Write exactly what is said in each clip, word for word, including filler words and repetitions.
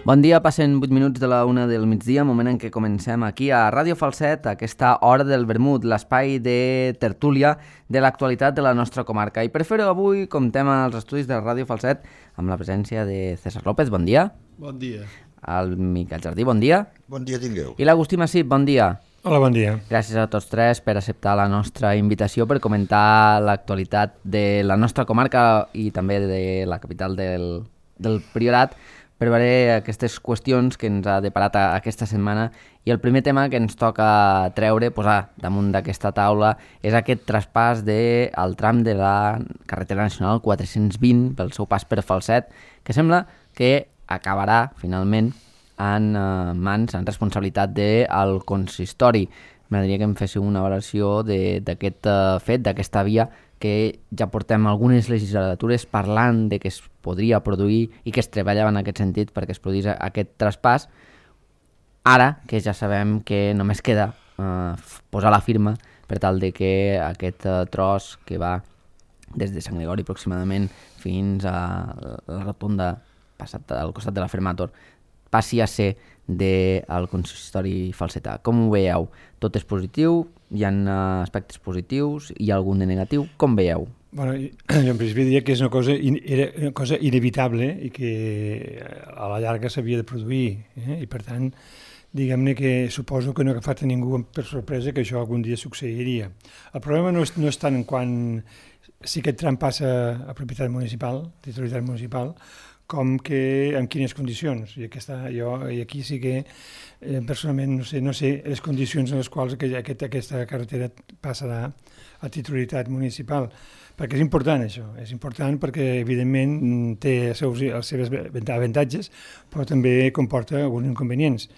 Bon dia, passen vuit minuts de la una del migdia, moment en què comencem aquí a Ràdio Falset, aquesta hora del vermut, l'espai de tertúlia de l'actualitat de la nostra comarca. I per fer-ho avui comptem als estudis de Ràdio Falset amb la presència de César López, bon dia. Bon dia. El Miquel Jardí, bon dia. Bon dia tingueu. I l'Agustí Massip, bon dia. Hola, bon dia. Gràcies a tots tres per acceptar la nostra invitació per comentar l'actualitat de la nostra comarca i també de la capital del, del Priorat, per veure aquestes qüestions que ens ha deparat aquesta setmana. I el primer tema que ens toca treure, posar damunt d'aquesta taula, és aquest traspàs del tram de la carretera nacional quatre-cents vint pel seu pas per Falset, que sembla que acabarà finalment en eh, mans, en responsabilitat del consistori. M'agradaria que em féssiu una valoració d'aquest eh, fet, d'aquesta via, que ja portem algunes legislatures parlant de que es podria produir i que es treballava en aquest sentit perquè es produís aquest traspàs. Ara que ja sabem que només queda eh, posar la firma per tal de que aquest eh, tros que va des de Sant Gregori aproximadament fins a la rotonda passat al costat de la Fermator passi a ser del consistori falsetà. Com ho veieu? Tot és positiu? Hi ha aspectes positius? Hi ha algun de negatiu? Com veieu? Bueno, jo en principi diria que és una cosa, in, era una cosa inevitable i que a la llarga s'havia de produir. Eh? I per tant, diguem-ne que suposo que no ha agafat a ningú per sorpresa que això algun dia succeiria. El problema no és, no és tant en quan si aquest tram passa a propietat municipal, titularitat municipal, com que en quines condicions. I, aquesta, jo, i aquí sí que eh, personalment no sé, no sé les condicions en les quals aquest, aquesta carretera passarà a titularitat municipal. Perquè és important això, és important perquè evidentment té els seus, els seus avantatges, però també comporta alguns inconvenients.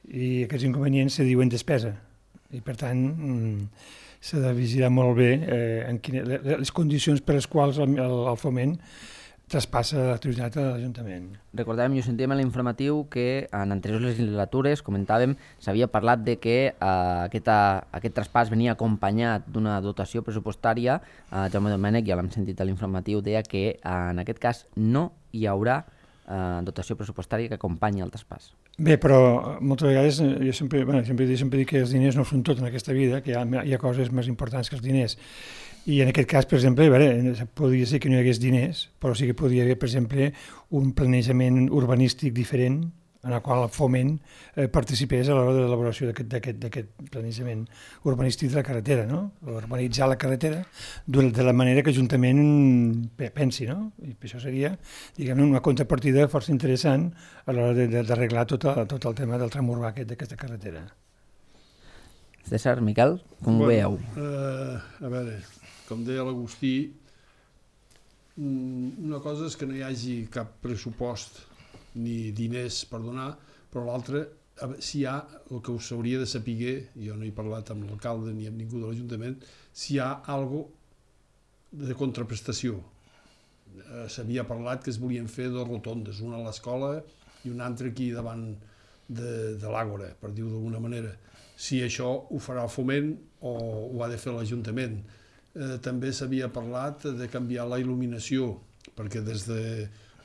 I aquests inconvenients se diuen despesa. I per tant s'ha de vigilar molt bé eh, en quine, les condicions per les quals el, el, el foment traspassa l'activitat a l'Ajuntament. Recordàvem i ho sentíem a l'informatiu que en anteriors legislatures, comentàvem, s'havia parlat de que eh, aquest, aquest traspàs venia acompanyat d'una dotació pressupostària. Eh, Jaume Domènech, ja l'hem sentit a l'informatiu, deia que eh, en aquest cas no hi haurà eh, dotació pressupostària que acompanyi el traspàs. Bé, però moltes vegades jo sempre, bueno, sempre, sempre dic que els diners no són tot en aquesta vida, que hi ha, hi ha coses més importants que els diners. I en aquest cas, per exemple, veure, podria ser que no hi hagués diners, però sí que podria haver, per exemple, un planejament urbanístic diferent en el qual el foment eh, participés a l'hora de l'elaboració d'aquest planejament urbanístic de la carretera, no? Urbanitzar la carretera de la manera que l'Ajuntament pensi, no? I això seria, diguem-ne, una contrapartida força interessant a l'hora d'arreglar tot, tot el tema del tram urbà d'aquesta carretera. César, Miquel, com bueno, ho veieu? Uh, a veure, com deia l'Agustí, una cosa és que no hi hagi cap pressupost ni diners per donar, però l'altra, si hi ha, el que us hauria de saber, jo no he parlat amb l'alcalde ni amb ningú de l'Ajuntament, si hi ha algo de contraprestació. Eh, S'havia parlat que es volien fer dues rotondes, una a l'escola i una altra aquí davant de, de l'Àgora, per dir-ho d'alguna manera. Si això ho farà el Foment o ho ha de fer l'Ajuntament. Eh, també s'havia parlat de canviar la il·luminació, perquè des de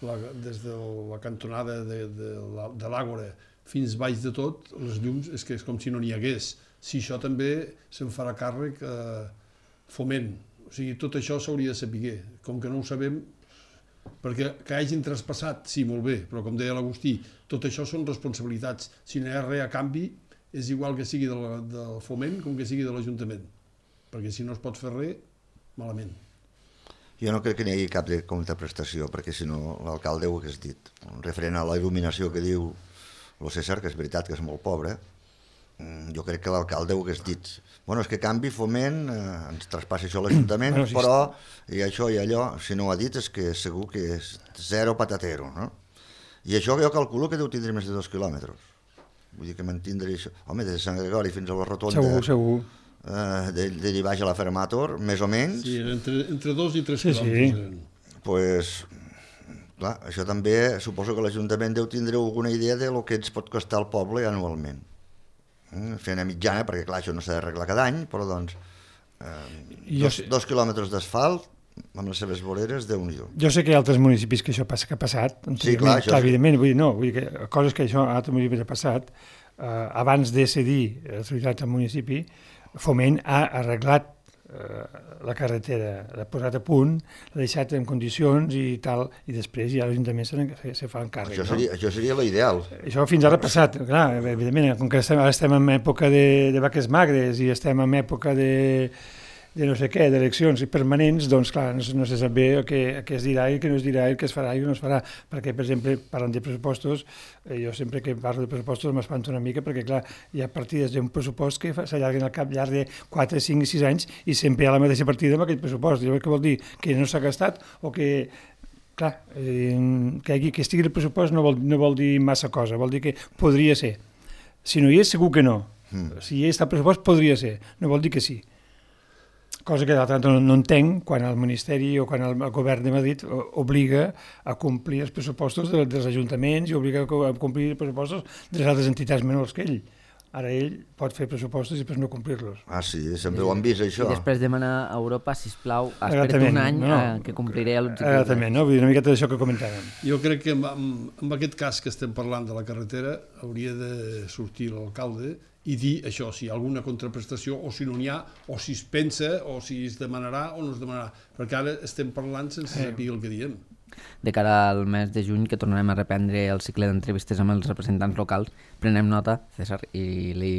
la, des de la cantonada de, de, de l'Àgora fins baix de tot, les llums és que és com si no n'hi hagués. Si això també se'n farà càrrec eh, Foment. O sigui, tot això s'hauria de saber. Com que no ho sabem, perquè que hagin traspassat, sí, molt bé, però com deia l'Agustí, tot això són responsabilitats. Si no hi ha res a canvi, és igual que sigui del, del Foment com que sigui de l'Ajuntament. Perquè si no es pot fer res, malament. Jo no crec que n'hi hagi cap de contraprestació, perquè si no l'alcalde ho hagués dit. Referent a la il·luminació que diu el César, que és veritat que és molt pobre, jo crec que l'alcalde ho hagués dit. Bueno, és que canvi Foment, eh, ens traspassa això a l'Ajuntament, bueno, sí, però i això i allò, si no ho ha dit és que segur que és zero patatero, no? I això jo calculo que deu tindre més de dos quilòmetres. Vull dir que mantindre això. Home, des de Sant Gregori fins a la rotonda... Segur, segur. Uh, d'allí baix a la Fermator, més o menys. Sí, entre, entre dos i tres sí, quilòmetres. Sí. Pues, clar, això també suposo que l'Ajuntament deu tindre alguna idea de lo que ens pot costar al poble anualment. Mm, fer una mitjana, perquè clar, això no s'ha d'arreglar cada any, però doncs eh, dos, dos quilòmetres d'asfalt amb les seves voreres, Déu-n'hi-do. Jo sé que hi ha altres municipis que això passa, que ha passat. Sí, clar, això clar, sí. evidentment, vull dir, no, vull dir que coses que això a altres municipis ha passat, eh, abans de cedir les autoritats al municipi, Foment ha arreglat eh, la carretera, l'ha posat a punt, l'ha deixat en condicions i tal, i després ja l'Ajuntament se, se, se fa encàrrec. Això No? seria, això seria l'ideal. Això fins ara ha passat, clar, evidentment, com que estem, ara estem en època de, de vaques magres i estem en època de, de no sé què, d'eleccions permanents, doncs clar, no, no se sap bé què, què es dirà i què no es dirà i què es farà i què no es farà, perquè, per exemple, parlant de pressupostos, eh, jo sempre que parlo de pressupostos m'espanto una mica, perquè clar, hi ha partides d'un pressupost que s'allarguen al cap llarg de quatre, cinc i sis anys i sempre hi ha la mateixa partida amb aquell pressupost. Llavors, què vol dir? Que no s'ha gastat o que... Clar, eh, que, hagi, que estigui el pressupost no vol, no vol dir massa cosa, vol dir que podria ser. Si no hi és, segur que no. Mm. Si hi està el pressupost, podria ser. No vol dir que sí. Cosa que d'altra banda no, no entenc quan el Ministeri o quan el, el govern de Madrid obliga a complir els pressupostos de, dels ajuntaments i obliga a complir els pressupostos de les altres entitats menors que ell. Ara ell pot fer pressupostos i després no complir-los. Ah, sí, sempre ho han vist, això. I després demana a Europa, sisplau, espera't un any no, no. Eh, que compliré l'objectiu. Exactament, no? Vull dir, una miqueta d'això que comentàvem. Jo crec que amb, amb, amb aquest cas que estem parlant de la carretera hauria de sortir l'alcalde i dir això, si hi ha alguna contraprestació o si no n'hi ha, o si es pensa o si es demanarà o no es demanarà, perquè ara estem parlant sense saber el que diem. De cara al mes de juny, que tornarem a reprendre el cicle d'entrevistes amb els representants locals, prenem nota, César, i li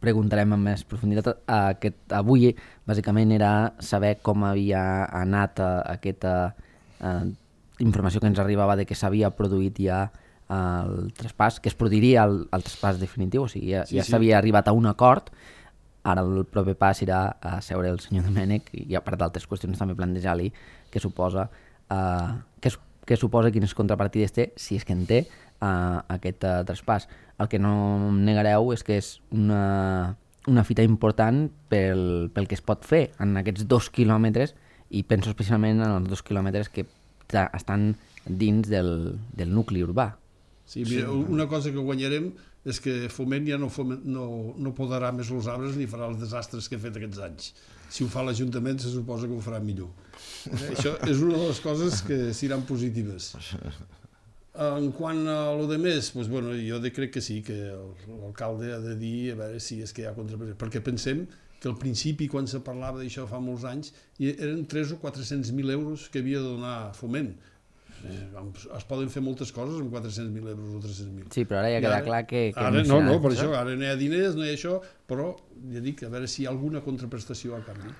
preguntarem amb més profunditat. Aquest, avui, bàsicament, era saber com havia anat aquesta eh, informació que ens arribava de que s'havia produït ja el traspàs, que es produiria el, el traspàs definitiu, o sigui, ja, sí, ja s'havia sí. arribat a un acord. Ara el proper pas serà a seure el senyor Domènech i a part d'altres qüestions també plantejar-li què suposa Uh, què, què suposa, quines contrapartides té, si és que en té, uh, aquest uh, traspàs. El que no em negareu és que és una, una fita important pel, pel que es pot fer en aquests dos quilòmetres, i penso especialment en els dos quilòmetres que estan dins del, del nucli urbà. Sí, mira, una cosa que guanyarem és que Foment ja no, foment, no, no podarà més els arbres ni farà els desastres que ha fet aquests anys. Si ho fa l'Ajuntament se suposa que ho farà millor. Eh, això és una de les coses que seran positives. En quant a lo de més, doncs, bueno, jo crec que sí, que l'alcalde ha de dir a veure si és que hi ha contraprestació, perquè pensem que al principi, quan se parlava d'això fa molts anys, eren tres o quatre-cents mil euros que havia de donar Foment. Es poden fer moltes coses amb quatre-cents mil euros o tres-cents mil. Sí, però ara ja queda clar que... que ara, no, no, per això, ara no hi ha diners, no hi ha això, però ja dic, a veure si hi ha alguna contraprestació a canvi.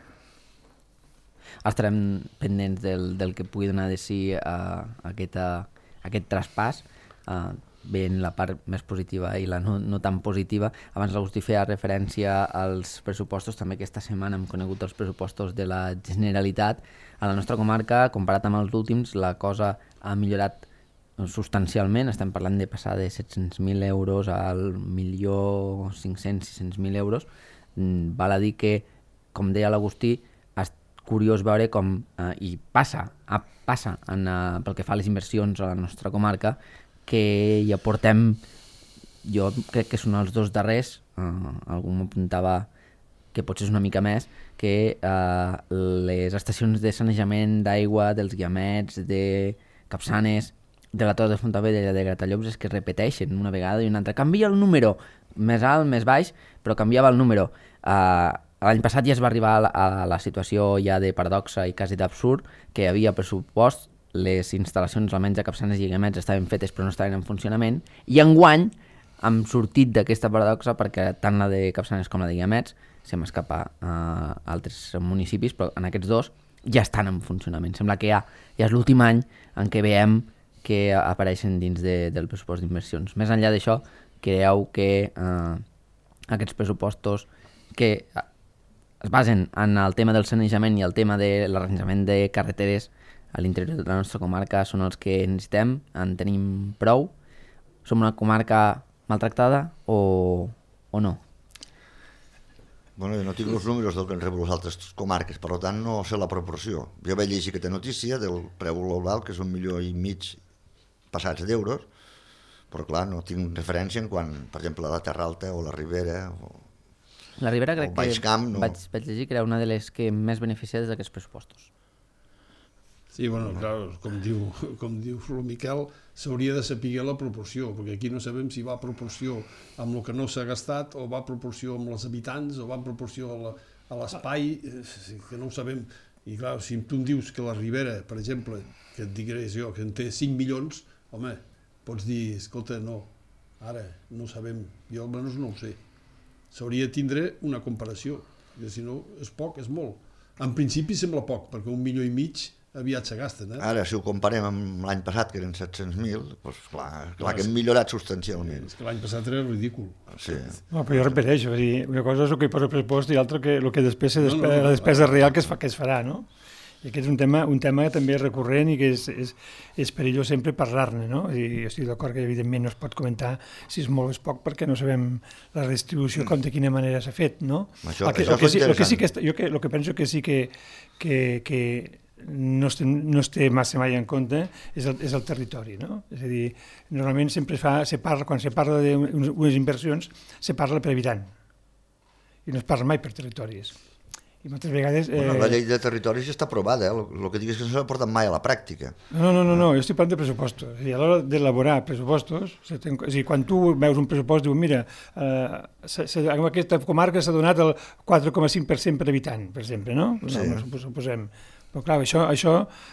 Estarem pendents del, del que pugui donar de si uh, aquest, uh, aquest traspàs, uh, ben la part més positiva i la no, no tan positiva. Abans l'Agustí feia referència als pressupostos, també aquesta setmana hem conegut els pressupostos de la Generalitat. A la nostra comarca, comparat amb els últims, la cosa ha millorat substancialment. Estem parlant de passar de set-cents mil euros al milió cinc-cents sis cents mil euros. Val a dir que, com deia l'Agustí, és curiós veure com, eh, i passa, ah, passa en, uh, pel que fa a les inversions a la nostra comarca, que ja portem, jo crec que són els dos darrers, uh, algú m'apuntava que potser és una mica més, que uh, les estacions de sanejament d'aigua dels Guiamets, de Capçanes, de la Torre de Fontavella i de Gratallops és que repeteixen una vegada i una altra. Canvia el número, més alt, més baix, però canviava el número. Uh, L'any passat ja es va arribar a la, a la situació ja de paradoxa i quasi d'absurd, que hi havia pressupost, les instal·lacions almenys a Capçanes i Guiamets estaven fetes però no estaven en funcionament, i enguany hem sortit d'aquesta paradoxa perquè tant la de Capçanes com la de Guiamets se m'escapa a altres municipis, però en aquests dos ja estan en funcionament. Sembla que ja, ja és l'últim any en què veiem que apareixen dins de, del pressupost d'inversions. Més enllà d'això, creieu que eh, aquests pressupostos que es basen en el tema del sanejament i el tema de l'arranjament de carreteres a l'interior de la nostra comarca són els que necessitem, en tenim prou? Som una comarca maltractada o, o no? Bueno, jo no tinc els números del que han rebut les altres comarques, per tant no sé la proporció. Jo vaig llegir aquesta notícia del preu global, que és un milió i mig passats d'euros, però clar, no tinc referència en quan, per exemple, la Terra Alta o la Ribera o, la Ribera crec o Baix Camp. Que no... vaig, vaig llegir que era una de les que més beneficiades d'aquests pressupostos. Sí, bueno, clar, com diu, com diu el Miquel, s'hauria de saber la proporció, perquè aquí no sabem si va a proporció amb el que no s'ha gastat, o va a proporció amb els habitants, o va a proporció a la, a l'espai, que no ho sabem. I clar, si tu em dius que la Ribera, per exemple, que et diré jo, que en té cinc milions, home, pots dir, escolta, no, ara no ho sabem, jo almenys no ho sé. S'hauria de tindre una comparació, perquè si no és poc, és molt. En principi sembla poc, perquè un milió i mig aviat se gasten. Eh? Ara, si ho comparem amb l'any passat, que eren set-cents mil, doncs clar, clar que hem millorat substancialment. És que l'any passat era ridícul. Sí. No, però jo repeteixo, dir, una cosa és el que hi posa pressupost i l'altra que el que després se No, no, despe no, la despesa no. real que es, fa, que es farà, no? I aquest és un tema, un tema que també és recurrent i que és, és, és perillós sempre parlar-ne, no? I jo estic d'acord que evidentment no es pot comentar si és molt o és poc perquè no sabem la redistribució com de quina manera s'ha fet, no? Això, el que, això el que, sí, el que sí que interessant. jo que, el que penso que sí que, que, que no es, té, no es té massa mai en compte és el, és el territori, no? És a dir, normalment sempre es fa, se parla, quan se parla d'unes inversions, se parla per habitant i no es parla mai per territoris. I moltes vegades... Eh... Bueno, la llei de territoris ja està aprovada, eh? El que digues que no s'ha portat mai a la pràctica. No, no, no, no, jo estic parlant de pressupostos. És a dir, a l'hora d'elaborar pressupostos, és a dir, quan tu veus un pressupost, diu, mira, eh, s -s en aquesta comarca s'ha donat el quatre coma cinc per cent per habitant, per exemple, no? Sí. No, no suposem. Però clar, això, això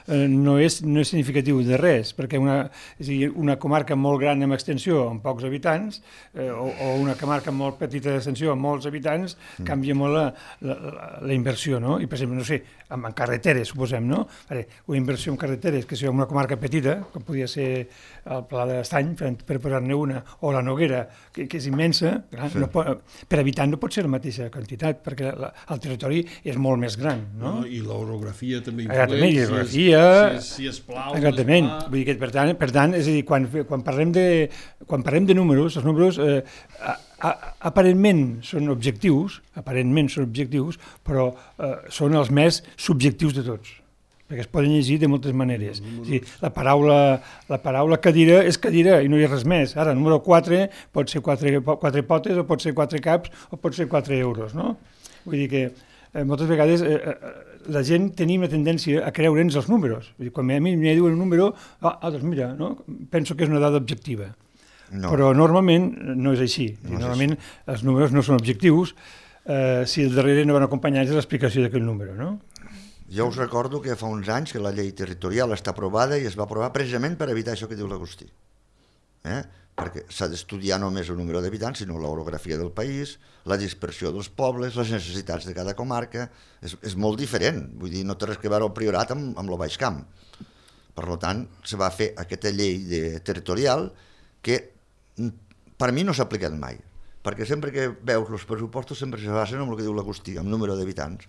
eh, no, és, no és significatiu de res, perquè una, és a dir, una comarca molt gran amb extensió, amb pocs habitants, eh, o, o una comarca molt petita d'extensió, amb molts habitants, mm. canvia molt la, la, la, la inversió, no? I, per exemple, no sé, en, en carreteres, suposem, no? Vale, una inversió en carreteres, que sigui una comarca petita, com podia ser el Pla d'Estany, per, per posar-ne una, o la Noguera, que, que és immensa, clar, sí. no pot, per habitant no pot ser la mateixa quantitat, perquè la, el territori és molt més gran, no? no I l'orografia també Exactament, i geografia... Si és, si és plau... Exactament. És Vull dir que, per tant, per tant, és a dir, quan, quan, parlem de, quan parlem de números, els números eh, a, a, aparentment són objectius, aparentment són objectius, però eh, són els més subjectius de tots, perquè es poden llegir de moltes maneres. O sigui, la, paraula, la paraula cadira és cadira i no hi ha res més. Ara, el número quatre pot ser quatre, quatre potes, o pot ser quatre caps, o pot ser quatre euros, no? Vull dir que eh, moltes vegades eh, eh, la gent tenim la tendència a creure'ns els números. Vull dir, quan a mi me diuen un número, ah, ah doncs mira, no? Penso que és una dada objectiva. No. Però normalment no és així. No normalment és així. Els números no són objectius eh, si al darrere no van acompanyats de l'explicació d'aquell número, no? Jo us recordo que fa uns anys que la llei territorial està aprovada i es va aprovar precisament per evitar això que diu l'Agustí. Eh? Perquè s'ha d'estudiar no només el número d'habitants, sinó l'orografia del país, la dispersió dels pobles, les necessitats de cada comarca. És, és molt diferent, vull dir, no té res que veure el Priorat amb, amb el Baix Camp. Per tant, se va fer aquesta llei de, territorial que per mi no s'ha aplicat mai, perquè sempre que veus els pressupostos sempre se basen en el que diu l'Agustí, amb número d'habitants.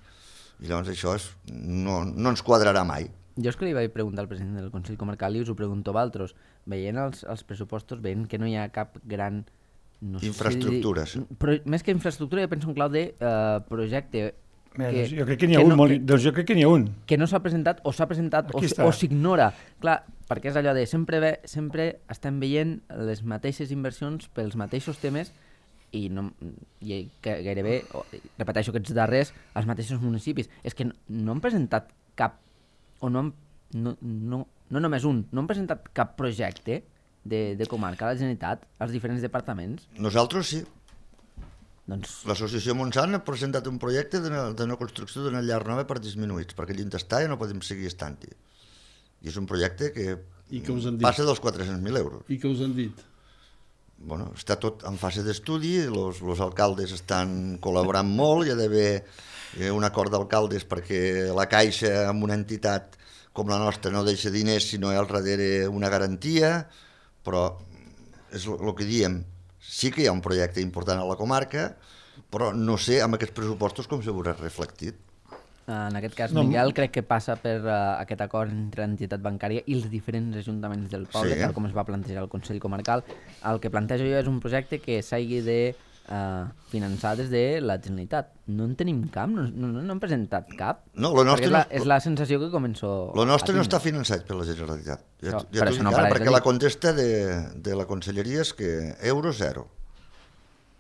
I llavors això és, no, no ens quadrarà mai. Jo és que li vaig preguntar al president del Consell Comarcal i us ho pregunto a vosaltres. Veient els, els pressupostos, veient que no hi ha cap gran... No sé infraestructura, si dir, però més que infraestructura, jo penso en clau de uh, projecte. Bé, que, jo crec que n'hi ha un, no, molt, que, doncs jo crec que n'hi ha un. Que no s'ha presentat, o s'ha presentat, Aquí o s'ignora. Clar, perquè és allò de sempre, ve, sempre estem veient les mateixes inversions pels mateixos temes i, no, i que gairebé, repeteixo, aquests darrers, els mateixos municipis. És que no, no han presentat cap, o no han, no, no, no només un, no han presentat cap projecte de, de comarca a la Generalitat, als diferents departaments. Nosaltres sí. Doncs... L'associació Montsant ha presentat un projecte d'una de construcció d'una llar nova per disminuïts, perquè allà està ja no podem seguir estant-hi. I és un projecte que, I que us han dit? passa dels quatre-cents mil euros. I què us han dit? Bueno, està tot en fase d'estudi, els alcaldes estan col·laborant molt, hi ha d'haver un acord d'alcaldes perquè la Caixa amb una entitat com la nostra no deixa diners si no hi ha al darrere una garantia, però és el que diem, sí que hi ha un projecte important a la comarca, però no sé amb aquests pressupostos com se veurà reflectit. En aquest cas, no, Miguel, crec que passa per uh, aquest acord entre l'entitat bancària i els diferents ajuntaments del poble, sí, tal com es va plantejar al Consell Comarcal. El que plantejo jo és un projecte que s'hagi de uh, finançar des de la Generalitat. No en tenim cap, no, no, no hem presentat cap. No, lo nostre és, la, no, és la sensació que començo Lo nostre no està finançat per la Generalitat. Ja, això, ja t'ho dic no ara, perquè la contesta de, de la Conselleria és que euro zero.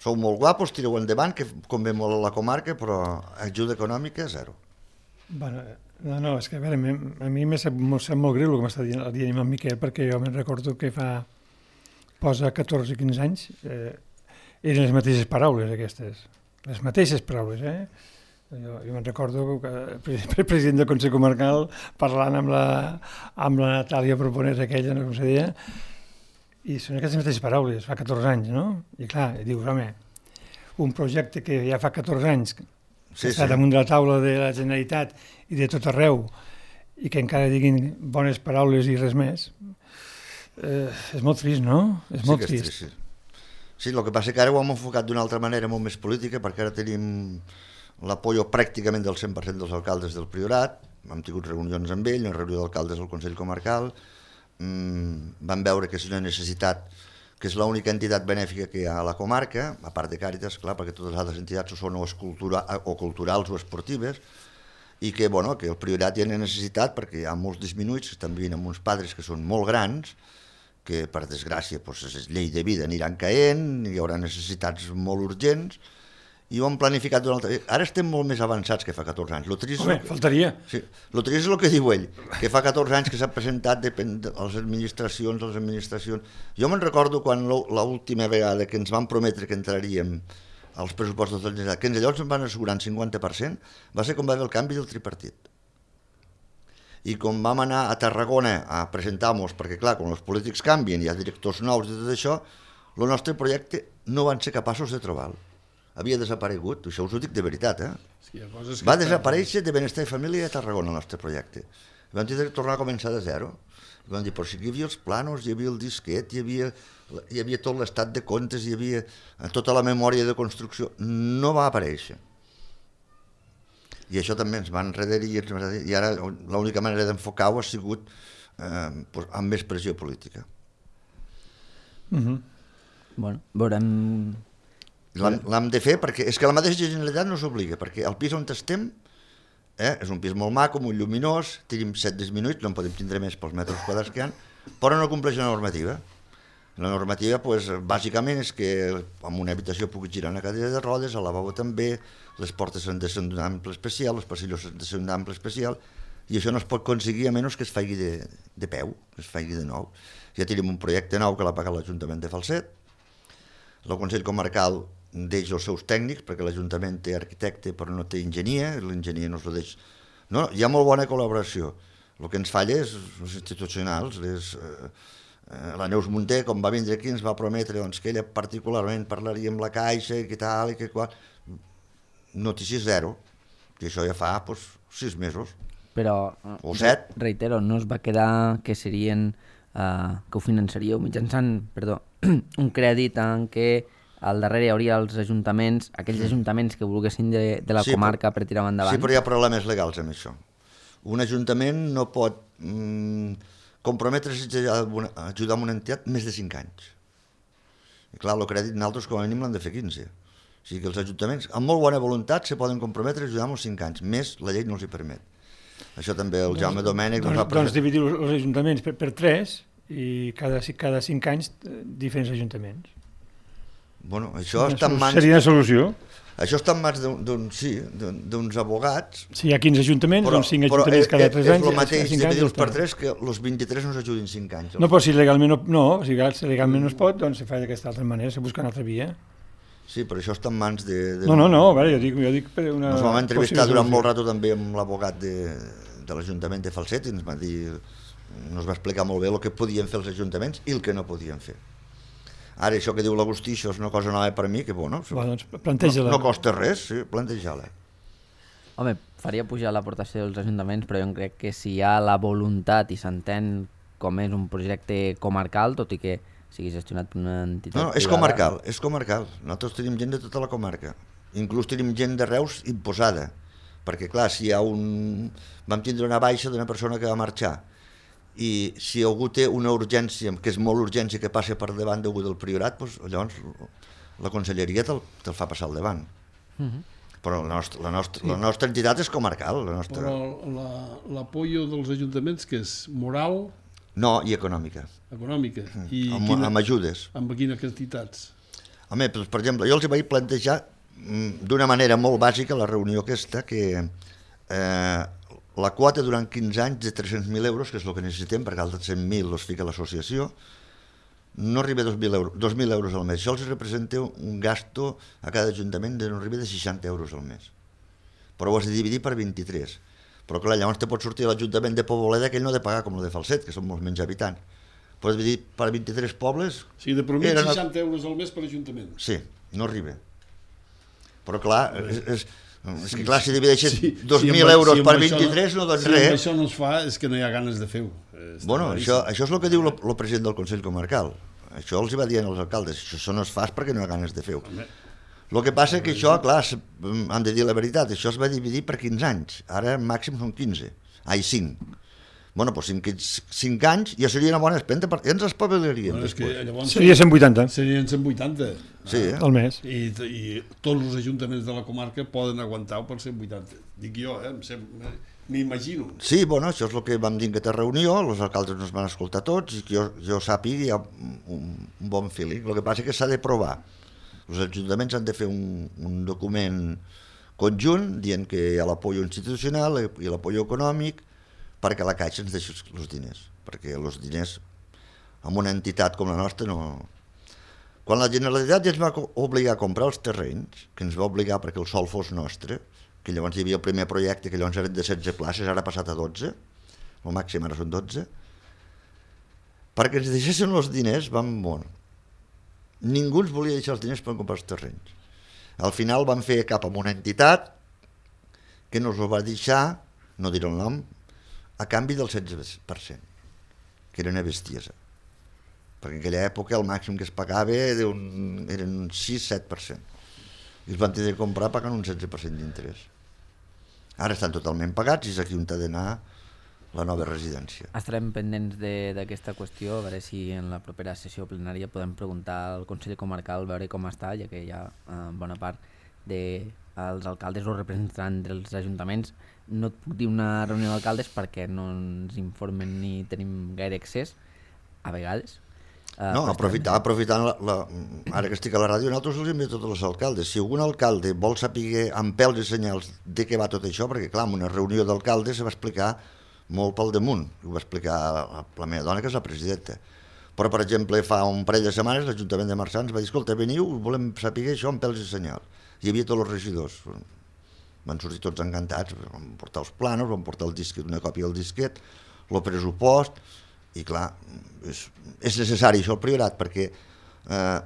Sou molt guapos, tireu endavant, que convé molt a la comarca, però ajuda econòmica zero. Bueno, no, no, és que a, veure, a mi m'ha sap, sap molt greu el que m'està dient, dient en Miquel, perquè jo me'n recordo que fa, posa catorze o quinze anys, eh, eren les mateixes paraules aquestes, les mateixes paraules, eh? Jo, jo me'n recordo que el president del Consell Comarcal parlant amb la, amb la Natàlia Proponés aquella, no com se deia, i són aquestes mateixes paraules, fa catorze anys, no? I clar, dius, home, un projecte que ja fa catorze anys que sí, està sí. damunt de la taula de la Generalitat i de tot arreu i que encara diguin bones paraules i res més, eh, és molt trist, no? És sí molt trist. trist. Sí. sí, el que passa que ara ho hem enfocat d'una altra manera molt més política, perquè ara tenim l'apoyo pràcticament del cent per cent dels alcaldes del Priorat, hem tingut reunions amb ell, una reunió d'alcaldes del Consell Comarcal, mm, vam veure que és una necessitat, que és l'única entitat benèfica que hi ha a la comarca, a part de Càritas, clar, perquè totes les altres entitats són o, cultura, o culturals o esportives, i que, bueno, que el Priorat hi ha necessitat perquè hi ha molts disminuïts que estan vivint amb uns padres que són molt grans, que per desgràcia doncs, és llei de vida, aniran caent, hi haurà necessitats molt urgents, i ho hem planificat d'una altra... Ara estem molt més avançats que fa catorze anys. Lo trist Home, que... faltaria. Sí, lo trist és el que diu ell, que fa catorze anys que s'ha presentat depèn de les administracions, les administracions... Jo me'n recordo quan l'última vegada que ens van prometre que entraríem als pressupostos de la Generalitat, que ens llavors ens van assegurar un cinquanta per cent, va ser quan va haver el canvi del tripartit. I com vam anar a Tarragona a presentar-nos, perquè clar, quan els polítics canvien, hi ha directors nous i tot això, el nostre projecte no van ser capaços de trobar-lo. Havia desaparegut, això us ho dic de veritat, eh? Sí, hi ha coses que va desaparèixer de Benestar i Família a Tarragona el nostre projecte. I vam tenir que tornar a començar de zero. I vam dir, però sí que hi havia els planos, hi havia el disquet, hi havia, hi havia tot l'estat de comptes, hi havia tota la memòria de construcció. No va aparèixer. I això també ens va enrederir, i ara l'única manera d'enfocar-ho ha sigut eh, amb més pressió política. Mm-hmm. Bueno, veurem... L'hem de fer perquè és que la mateixa Generalitat no s'obliga, perquè el pis on estem eh, és un pis molt maco, molt lluminós, tenim set disminuïts, no en podem tindre més pels metres quadrats que hi ha, però no compleix la normativa. La normativa, pues, bàsicament, és que en una habitació pugui girar una cadira de rodes, al lavabo també, les portes han de ser d'un ample especial, els passillos han de ser d'un ample especial, i això no es pot aconseguir a menys que es faci de, de peu, que es faci de nou. Ja tenim un projecte nou que l'ha pagat l'Ajuntament de Falset, el Consell Comarcal deix els seus tècnics, perquè l'Ajuntament té arquitecte però no té enginyer, l'enginyer no es lo deix... No, hi ha molt bona col·laboració. El que ens falla és els institucionals. Les, eh, la Neus Munté, com va vindre aquí, ens va prometre doncs, que ella particularment parlaria amb la Caixa i que tal i que qual. Notícies zero. I això ja fa doncs, sis mesos. Però, o set. Reitero, no es va quedar que serien... Uh, que ho finançaríeu mitjançant, perdó, un crèdit en què al darrere hi hauria els ajuntaments, aquells ajuntaments que volguessin de, de la sí, comarca per tirar endavant. Sí, però hi ha problemes legals amb això. Un ajuntament no pot mm, comprometre's a ajudar amb una entitat més de cinc anys. I clar, el crèdit nosaltres com a mínim l'han de fer quinze. O sigui que els ajuntaments, amb molt bona voluntat, se poden comprometre a ajudar amb els cinc anys. Més, la llei no els hi permet. Això també el Jaume doncs, Domènech... Doncs, doncs, doncs dividir els ajuntaments per, per tres i cada, cada cinc anys diferents ajuntaments. Bueno, això està en mans... Seria la solució. Això està en mans d'un sí, d'uns abogats... Si hi ha quinze ajuntaments, però, doncs cinc ajuntaments cada tres anys... Però és el mateix dividir-los per tres que els vint-i-tres no s'ajudin cinc anys. No, però si legalment no, no, si legalment no es pot, doncs se fa d'aquesta altra manera, se busca una altra via. Sí, però això està en mans de... de... No, no, no, a veure, jo dic, jo dic per una... Ens vam entrevistar durant molt rato també amb l'abogat de, de l'Ajuntament de Falset i ens va dir, ens va explicar molt bé el que podien fer els ajuntaments i el que no podien fer. Ara, això que diu l'Agustí, això és una cosa nova per mi, que bueno, Va, doncs, planteja-la. No, no costa res, sí, planteja-la. Home, faria pujar l'aportació dels ajuntaments, però jo crec que si hi ha la voluntat i s'entén com és un projecte comarcal, tot i que sigui gestionat per una entitat no, no, és privada. comarcal, és comarcal. Nosaltres tenim gent de tota la comarca. Inclús tenim gent de Reus imposada. Perquè, clar, si hi ha un... Vam tindre una baixa d'una persona que va marxar i si algú té una urgència, que és molt urgència que passa per davant d'algú del Priorat, doncs, llavors la conselleria te'l te fa passar al davant. Uh-huh. Però la nostra, la, nostra, sí. la nostra entitat és comarcal. La nostra... Però l'apoyo la, dels ajuntaments, que és moral... No, i econòmica. Econòmica. I amb, quina, amb ajudes. Amb quines quantitats? Home, per exemple, jo els vaig plantejar d'una manera molt bàsica la reunió aquesta, que eh, la quota durant quinze anys de tres-cents mil euros, que és el que necessitem, perquè altres cent mil els fica l'associació, no arriba a dos mil euros, dos mil euros al mes. Això els representa un gasto a cada ajuntament de no arriba de seixanta euros al mes. Però ho has de dividir per vint-i-tres. Però clar, llavors te pot sortir l'Ajuntament de Poboleda, que ell no ha de pagar com el de Falset, que són molts menys habitants. Pots dividir per vint-i-tres pobles... O sigui, de promès seixanta euros al mes per Ajuntament. Sí, no arriba. Però clar, és, és, és que clar, si divideixes sí, dos mil sí, euros si per vint-i-tres no, no doncs si res. Si això no es fa és que no hi ha ganes de fer-ho. Bueno, això, això és el que diu el president del Consell Comarcal. Això els hi va dient als alcaldes. Això no es fa perquè no hi ha ganes de fer-ho. El que passa és que això, clar, han de dir la veritat, això es va dividir per quinze anys. Ara màxim són quinze. Ai, cinc. Bueno, doncs cinc, cinc anys ja seria una bona espenta, ja ens espavilaríem. Bueno, és que llavors seria cent vuitanta. Serien cent vuitanta. Sí, eh? Al mes. I, I tots els ajuntaments de la comarca poden aguantar-ho per cent vuitanta. Dic jo, eh? M'imagino. Sí, bueno, això és el que vam dir en aquesta reunió, els alcaldes nos van escoltar tots i que jo, jo sàpiga hi ha un, un bon feeling. El que passa és que s'ha de provar. Els ajuntaments han de fer un, un document conjunt dient que hi ha l'apoyo institucional i l'apoyo econòmic perquè la Caixa ens deixi els diners, perquè els diners amb una entitat com la nostra no... Quan la Generalitat ja ens va obligar a comprar els terrenys, que ens va obligar perquè el sòl fos nostre, que llavors hi havia el primer projecte, que llavors eren de setze places, ara ha passat a dotze, el màxim ara són dotze, perquè ens deixessin els diners, vam... Bueno, ningú ens volia deixar els diners per comprar els terrenys. Al final van fer cap amb una entitat que no els ho va deixar, no diré el nom, a canvi del setze per cent, que era una bestiesa. Perquè en aquella època el màxim que es pagava era un, eren un sis set per cent. I els van tenir de comprar pagant un setze per cent d'interès. Ara estan totalment pagats i és aquí on ha d'anar la nova residència. Estarem pendents d'aquesta qüestió, a veure si en la propera sessió plenària podem preguntar al Consell Comarcal, veure com està, ja que hi ha eh, bona part dels alcaldes o representants dels ajuntaments. No et puc dir una reunió d'alcaldes perquè no ens informen ni tenim gaire accés, a vegades. Uh, no, aprofitar, aprofitant, la, la, ara que estic a la ràdio, nosaltres els enviem a tots els alcaldes. Si algun alcalde vol saber amb pèls i senyals de què va tot això, perquè clar, en una reunió d'alcaldes se va explicar molt pel damunt, ho va explicar la, la meva dona, que és la presidenta. Però, per exemple, fa un parell de setmanes l'Ajuntament de Marçà ens va dir, escolta, veniu, volem saber això amb pèls i senyals. Hi havia tots els regidors. Van sortir tots encantats, van portar els planos, van portar el disquet, una còpia del disquet, el pressupost, i clar, és, és necessari això al Priorat, perquè eh,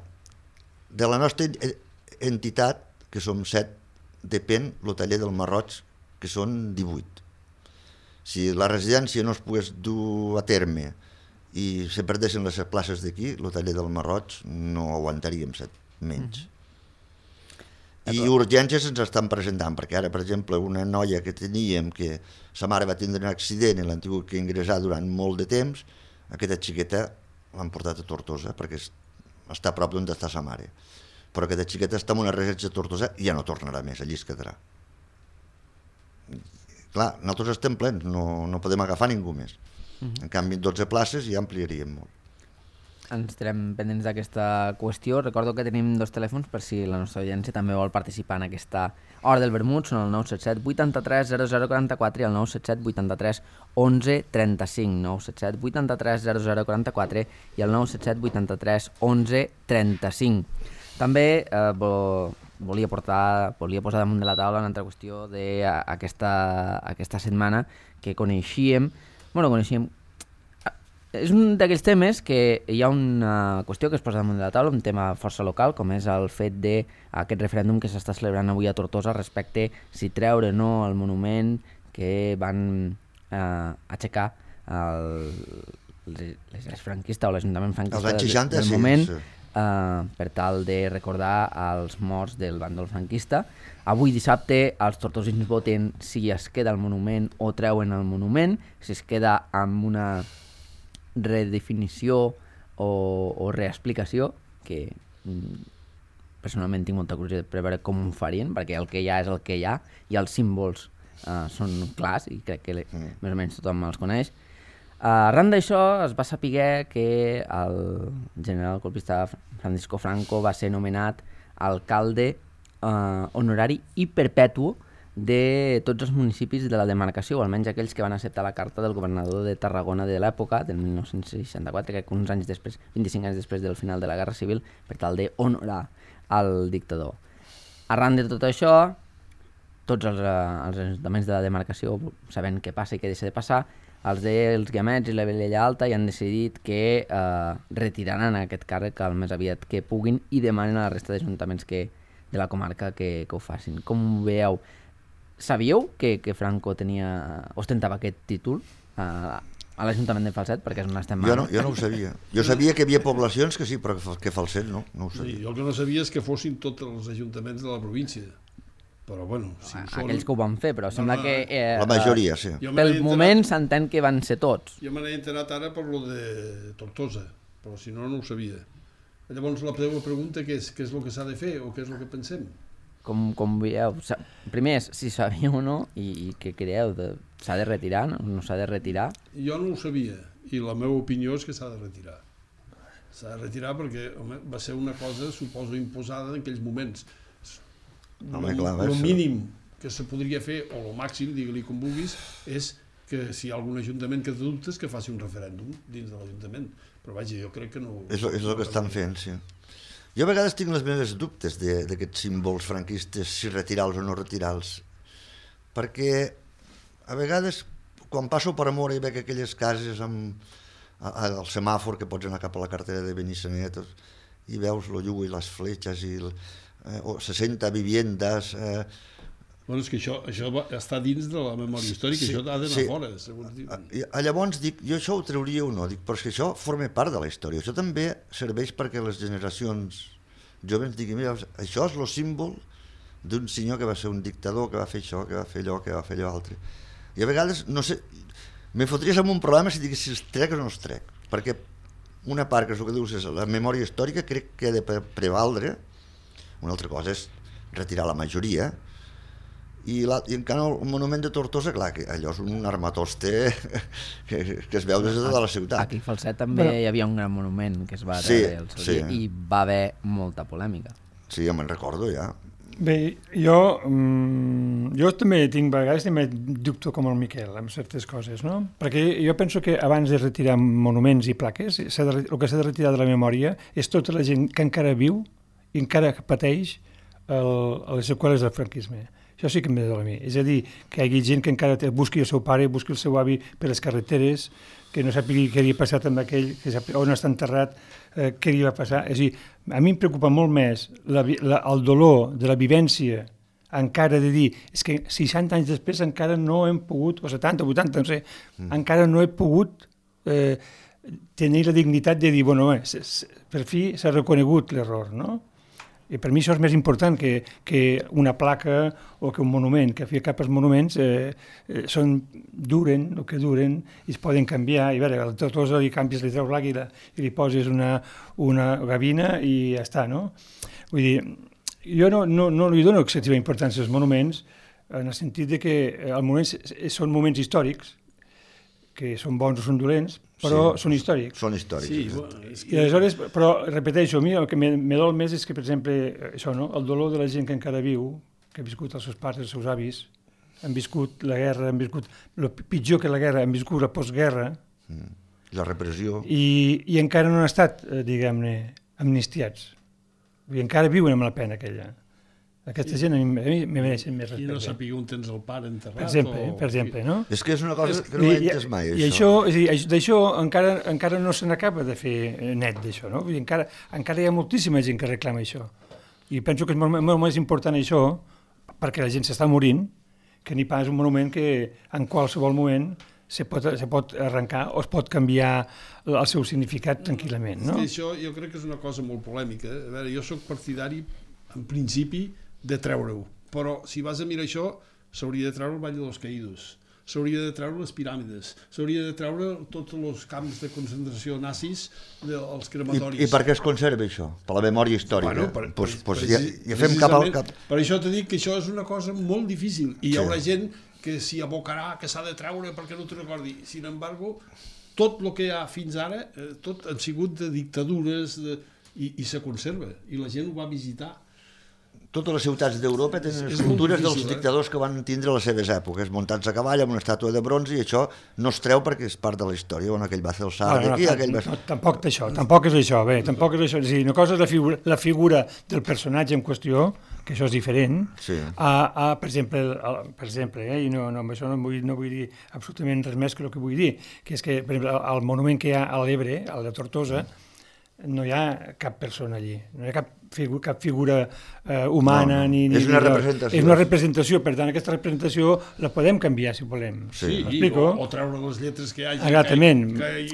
de la nostra entitat, que som set, depèn el taller del Marroig, que són divuit. Si la residència no es pogués dur a terme i se perdessin les places d'aquí, el taller del Marroig no aguantaríem set, menys. Mm-hmm. I urgències ens estan presentant, perquè ara, per exemple, una noia que teníem, que sa mare va tindre un accident i l'han tingut que ingressar durant molt de temps, aquesta xiqueta l'han portat a Tortosa, perquè està a prop d'on està sa mare. Però aquesta xiqueta està en una residència a Tortosa i ja no tornarà més, allí es quedarà. Clar, nosaltres estem plens, no, no podem agafar ningú més. Uh-huh. En canvi, dotze places ja ampliaríem molt. Ens estarem pendents d'aquesta qüestió. Recordo que tenim dos telèfons per si la nostra audiència també vol participar en aquesta hora del vermut. Són el nou set set vuitanta-tres zero zero quaranta-quatre i el nou set set vuitanta-tres onze trenta-cinc. nou set set vuitanta-tres zero zero quaranta-quatre i el nou set set vuitanta-tres onze trenta-cinc. També eh, vo, volia, portar, volia posar damunt de la taula una altra qüestió d'aquesta aquesta setmana que coneixíem. Bueno, coneixíem... És un d'aquells temes que hi ha una qüestió que es posa damunt de la taula, un tema força local, com és el fet d'aquest referèndum que s'està celebrant avui a Tortosa respecte si treure o no el monument que van eh, aixecar el, l'exèrcit franquista o l'Ajuntament franquista del, seixanta, del moment, sí, sí. Uh, per tal de recordar els morts del bàndol franquista. Avui dissabte els tortosins voten si es queda el monument o treuen el monument, si es queda amb una redefinició o, o reexplicació, que mm, personalment tinc molta curiositat per veure com ho farien, perquè el que hi ha és el que hi ha i els símbols uh, són clars i crec que mm. més o menys tothom els coneix. Uh, arran d'això es va saber que el general colpista Francisco Franco va ser nomenat alcalde uh, honorari i perpètuo de tots els municipis de la demarcació, o almenys aquells que van acceptar la carta del governador de Tarragona de l'època, del mil nou-cents seixanta-quatre, que uns anys després, vint-i-cinc anys després del final de la Guerra Civil, per tal d'honorar el dictador. Arran de tot això, tots els, els ajuntaments de la demarcació, sabent què passa i què deixa de passar, els dels Guiamets i la Vilella Alta ja han decidit que eh, retiraran aquest càrrec el més aviat que puguin i demanen a la resta d'ajuntaments que, de la comarca que, que ho facin. Com ho veieu? Sabíeu que, que Franco tenia, ostentava aquest títol a, a l'Ajuntament de Falset? Perquè és on estem jo, no, jo no ho sabia. Jo sabia que hi havia poblacions que sí, però que Falset no, no ho sabia. Sí, jo el que no sabia és que fossin tots els ajuntaments de la província. Però bueno, si ho són... Aquells que ho van fer, però sembla no, que... Eh, la majoria, sí. Pel moment s'entén que van ser tots. Jo me n'he enterat ara per lo de Tortosa, però si no, no ho sabia. Llavors la teva pregunta què és? Què és el que s'ha de fer o què és el que pensem? Com, com veieu? Primer és si sabíeu o no i, i què creieu? De, s'ha de retirar? No, no s'ha de retirar? Jo no ho sabia i la meva opinió és que s'ha de retirar. S'ha de retirar perquè home, va ser una cosa, suposo, imposada en aquells moments. Home, clar, el mínim que se podria fer, o el màxim, digue-li com vulguis, és que si hi ha algun ajuntament que té dubtes, que faci un referèndum dins de l'Ajuntament. Però vaja, jo crec que no... És, és el que estan fent, sí. Jo a vegades tinc les meves dubtes d'aquests símbols franquistes, si retirar-los o no retirar-los. Perquè a vegades, quan passo per Amora i veig aquelles cases amb el semàfor que pots anar cap a la cartera de Benissanet i veus el llum i les fletxes i el, eh, o seixanta viviendes... Eh, Bueno, és que això, això va, està dins de la memòria històrica, sí, això ha d'anar sí. fora, segons diu. Llavors dic, jo això ho trauria o no, dic, però és que això forma part de la història, això també serveix perquè les generacions joves diguin, mira, això és el símbol d'un senyor que va ser un dictador, que va fer això, que va fer allò, que va fer allò altre. I a vegades, no sé, me fotries en un problema si digués si els trec o no els trec, perquè una part, que és el que dius, és la memòria històrica, crec que ha de prevaldre, una altra cosa és retirar la majoria, i, la, i encara el monument de Tortosa, clar, que allò és un armatoste que, que es veu des de tota la ciutat. Aquí a Falset també Però... hi havia un gran monument que es va sí, treure el seu sí. dia i va haver molta polèmica. Sí, ja me'n recordo, ja. Bé, jo, mm, jo també tinc vegades, també dubto com el Miquel amb certes coses, no? Perquè jo penso que abans de retirar monuments i plaques, de, el que s'ha de retirar de la memòria és tota la gent que encara viu i encara pateix el, les seqüeles del franquisme. Això sí que em ve de a mi. És a dir, que hi hagi gent que encara busqui el seu pare, busqui el seu avi per les carreteres, que no sàpiga què havia passat amb aquell, que sàpiga on està enterrat, eh, què li va passar. És a dir, a mi em preocupa molt més la, la, el dolor de la vivència encara de dir, és que seixanta anys després encara no hem pogut, o setanta, vuitanta, no sé, mm. encara no he pogut eh, tenir la dignitat de dir, bueno, bé, per fi s'ha reconegut l'error, no? I per mi això és més important que, que una placa o que un monument, que a fi i cap els monuments eh, eh, són, duren el que duren i es poden canviar. I a veure, al Tortosa li canvies, li treus l'àguila i li poses una, una gavina i ja està, no? Vull dir, jo no, no, no li dono excessiva importància als monuments en el sentit de que els monuments són moments històrics, que són bons o són dolents, però sí, són històrics. Són històrics. Sí, bueno, és que... I aleshores, però repeteixo, a mi el que me, me dol més és que, per exemple, això, no? El dolor de la gent que encara viu, que ha viscut els seus pares, els seus avis, han viscut la guerra, han viscut el pitjor que la guerra, han viscut la postguerra. Mm. La repressió. I, i encara no han estat, eh, diguem-ne, amnistiats. I encara viuen amb la pena aquella. Aquesta gent a mi, a mi me mereixen més respecte. I no sàpiga on tens el pare enterrat. Per exemple, o... per exemple, no? És que és una cosa que no I, he entès mai, i això. I això, és a dir, d'això encara, encara no se n'acaba de fer net, d'això, no? Vull dir, encara, encara hi ha moltíssima gent que reclama això. I penso que és molt, molt més important això, perquè la gent s'està morint, que ni pas un monument que en qualsevol moment se pot, se pot arrencar o es pot canviar el seu significat tranquil·lament, no? És que això jo crec que és una cosa molt polèmica. A veure, jo sóc partidari, en principi, de treure-ho. Però si vas a mirar això, s'hauria de treure el Valle de los Caídos, s'hauria de treure les piràmides, s'hauria de treure tots els camps de concentració nazis dels crematoris. I, I per què es conserva això? Per la memòria històrica? Bueno, per, pues, per, pues per, ja, ja fem cap al cap. Per això t'he dit que això és una cosa molt difícil i hi sí. haurà gent que s'hi abocarà, que s'ha de treure perquè no t'ho recordi. Sin embargo, tot el que hi ha fins ara, eh, tot han sigut de dictadures de, i, i se conserva, i la gent ho va visitar. totes les ciutats d'Europa tenen escultures dels dictadors que van tindre les seves èpoques, muntats a cavall amb una estàtua de bronze, i això no es treu perquè és part de la història. Bueno, aquell va fer el salt no, no, d'aquí, no, aquell va... No, tampoc això, tampoc és això, bé, tampoc és això. És a dir, una cosa és la figura, la figura del personatge en qüestió, que això és diferent, sí. a, a, per exemple, a, per exemple eh, i no, no, amb això no vull, no vull dir absolutament res més que el que vull dir, que és que, per exemple, el monument que hi ha a l'Ebre, al de Tortosa, no hi ha cap persona allí, no hi ha cap figura, cap figura eh, humana. No, no. Ni, ni, és una ni, representació. És una representació, per tant, aquesta representació la podem canviar, si volem. Sí, M'explico? o, o treure les lletres que hi hagi. Exactament,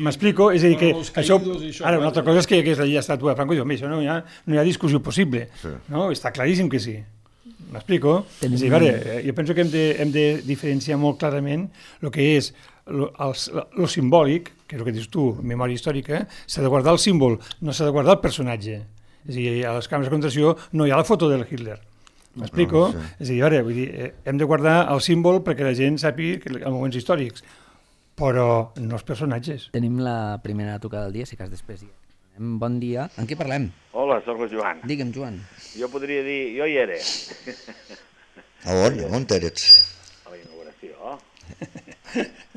m'explico? És a dir, que això, això, ara, una altra cosa és que, que és la estàtua de Franco, i això no hi ha, no hi ha discussió possible, sí. No? Està claríssim que sí. M'explico? És a dir, veure, jo penso que hem de, hem de diferenciar molt clarament el que és lo, el, lo simbòlic, que és el que dius tu, memòria històrica, s'ha de guardar el símbol, no s'ha de guardar el personatge. És a dir, a les càmeres de concentració no hi ha la foto del Hitler. M'explico? No, sí. És a dir, veure, vull dir, hem de guardar el símbol perquè la gent sàpiga que, en moments històrics, però no els personatges. Tenim la primera tocada del dia, si cas després. Bon dia. En què parlem? Hola, sóc el Joan. Digue'm, Joan. Jo podria dir, jo hi era. A on? On eres? A la inauguració.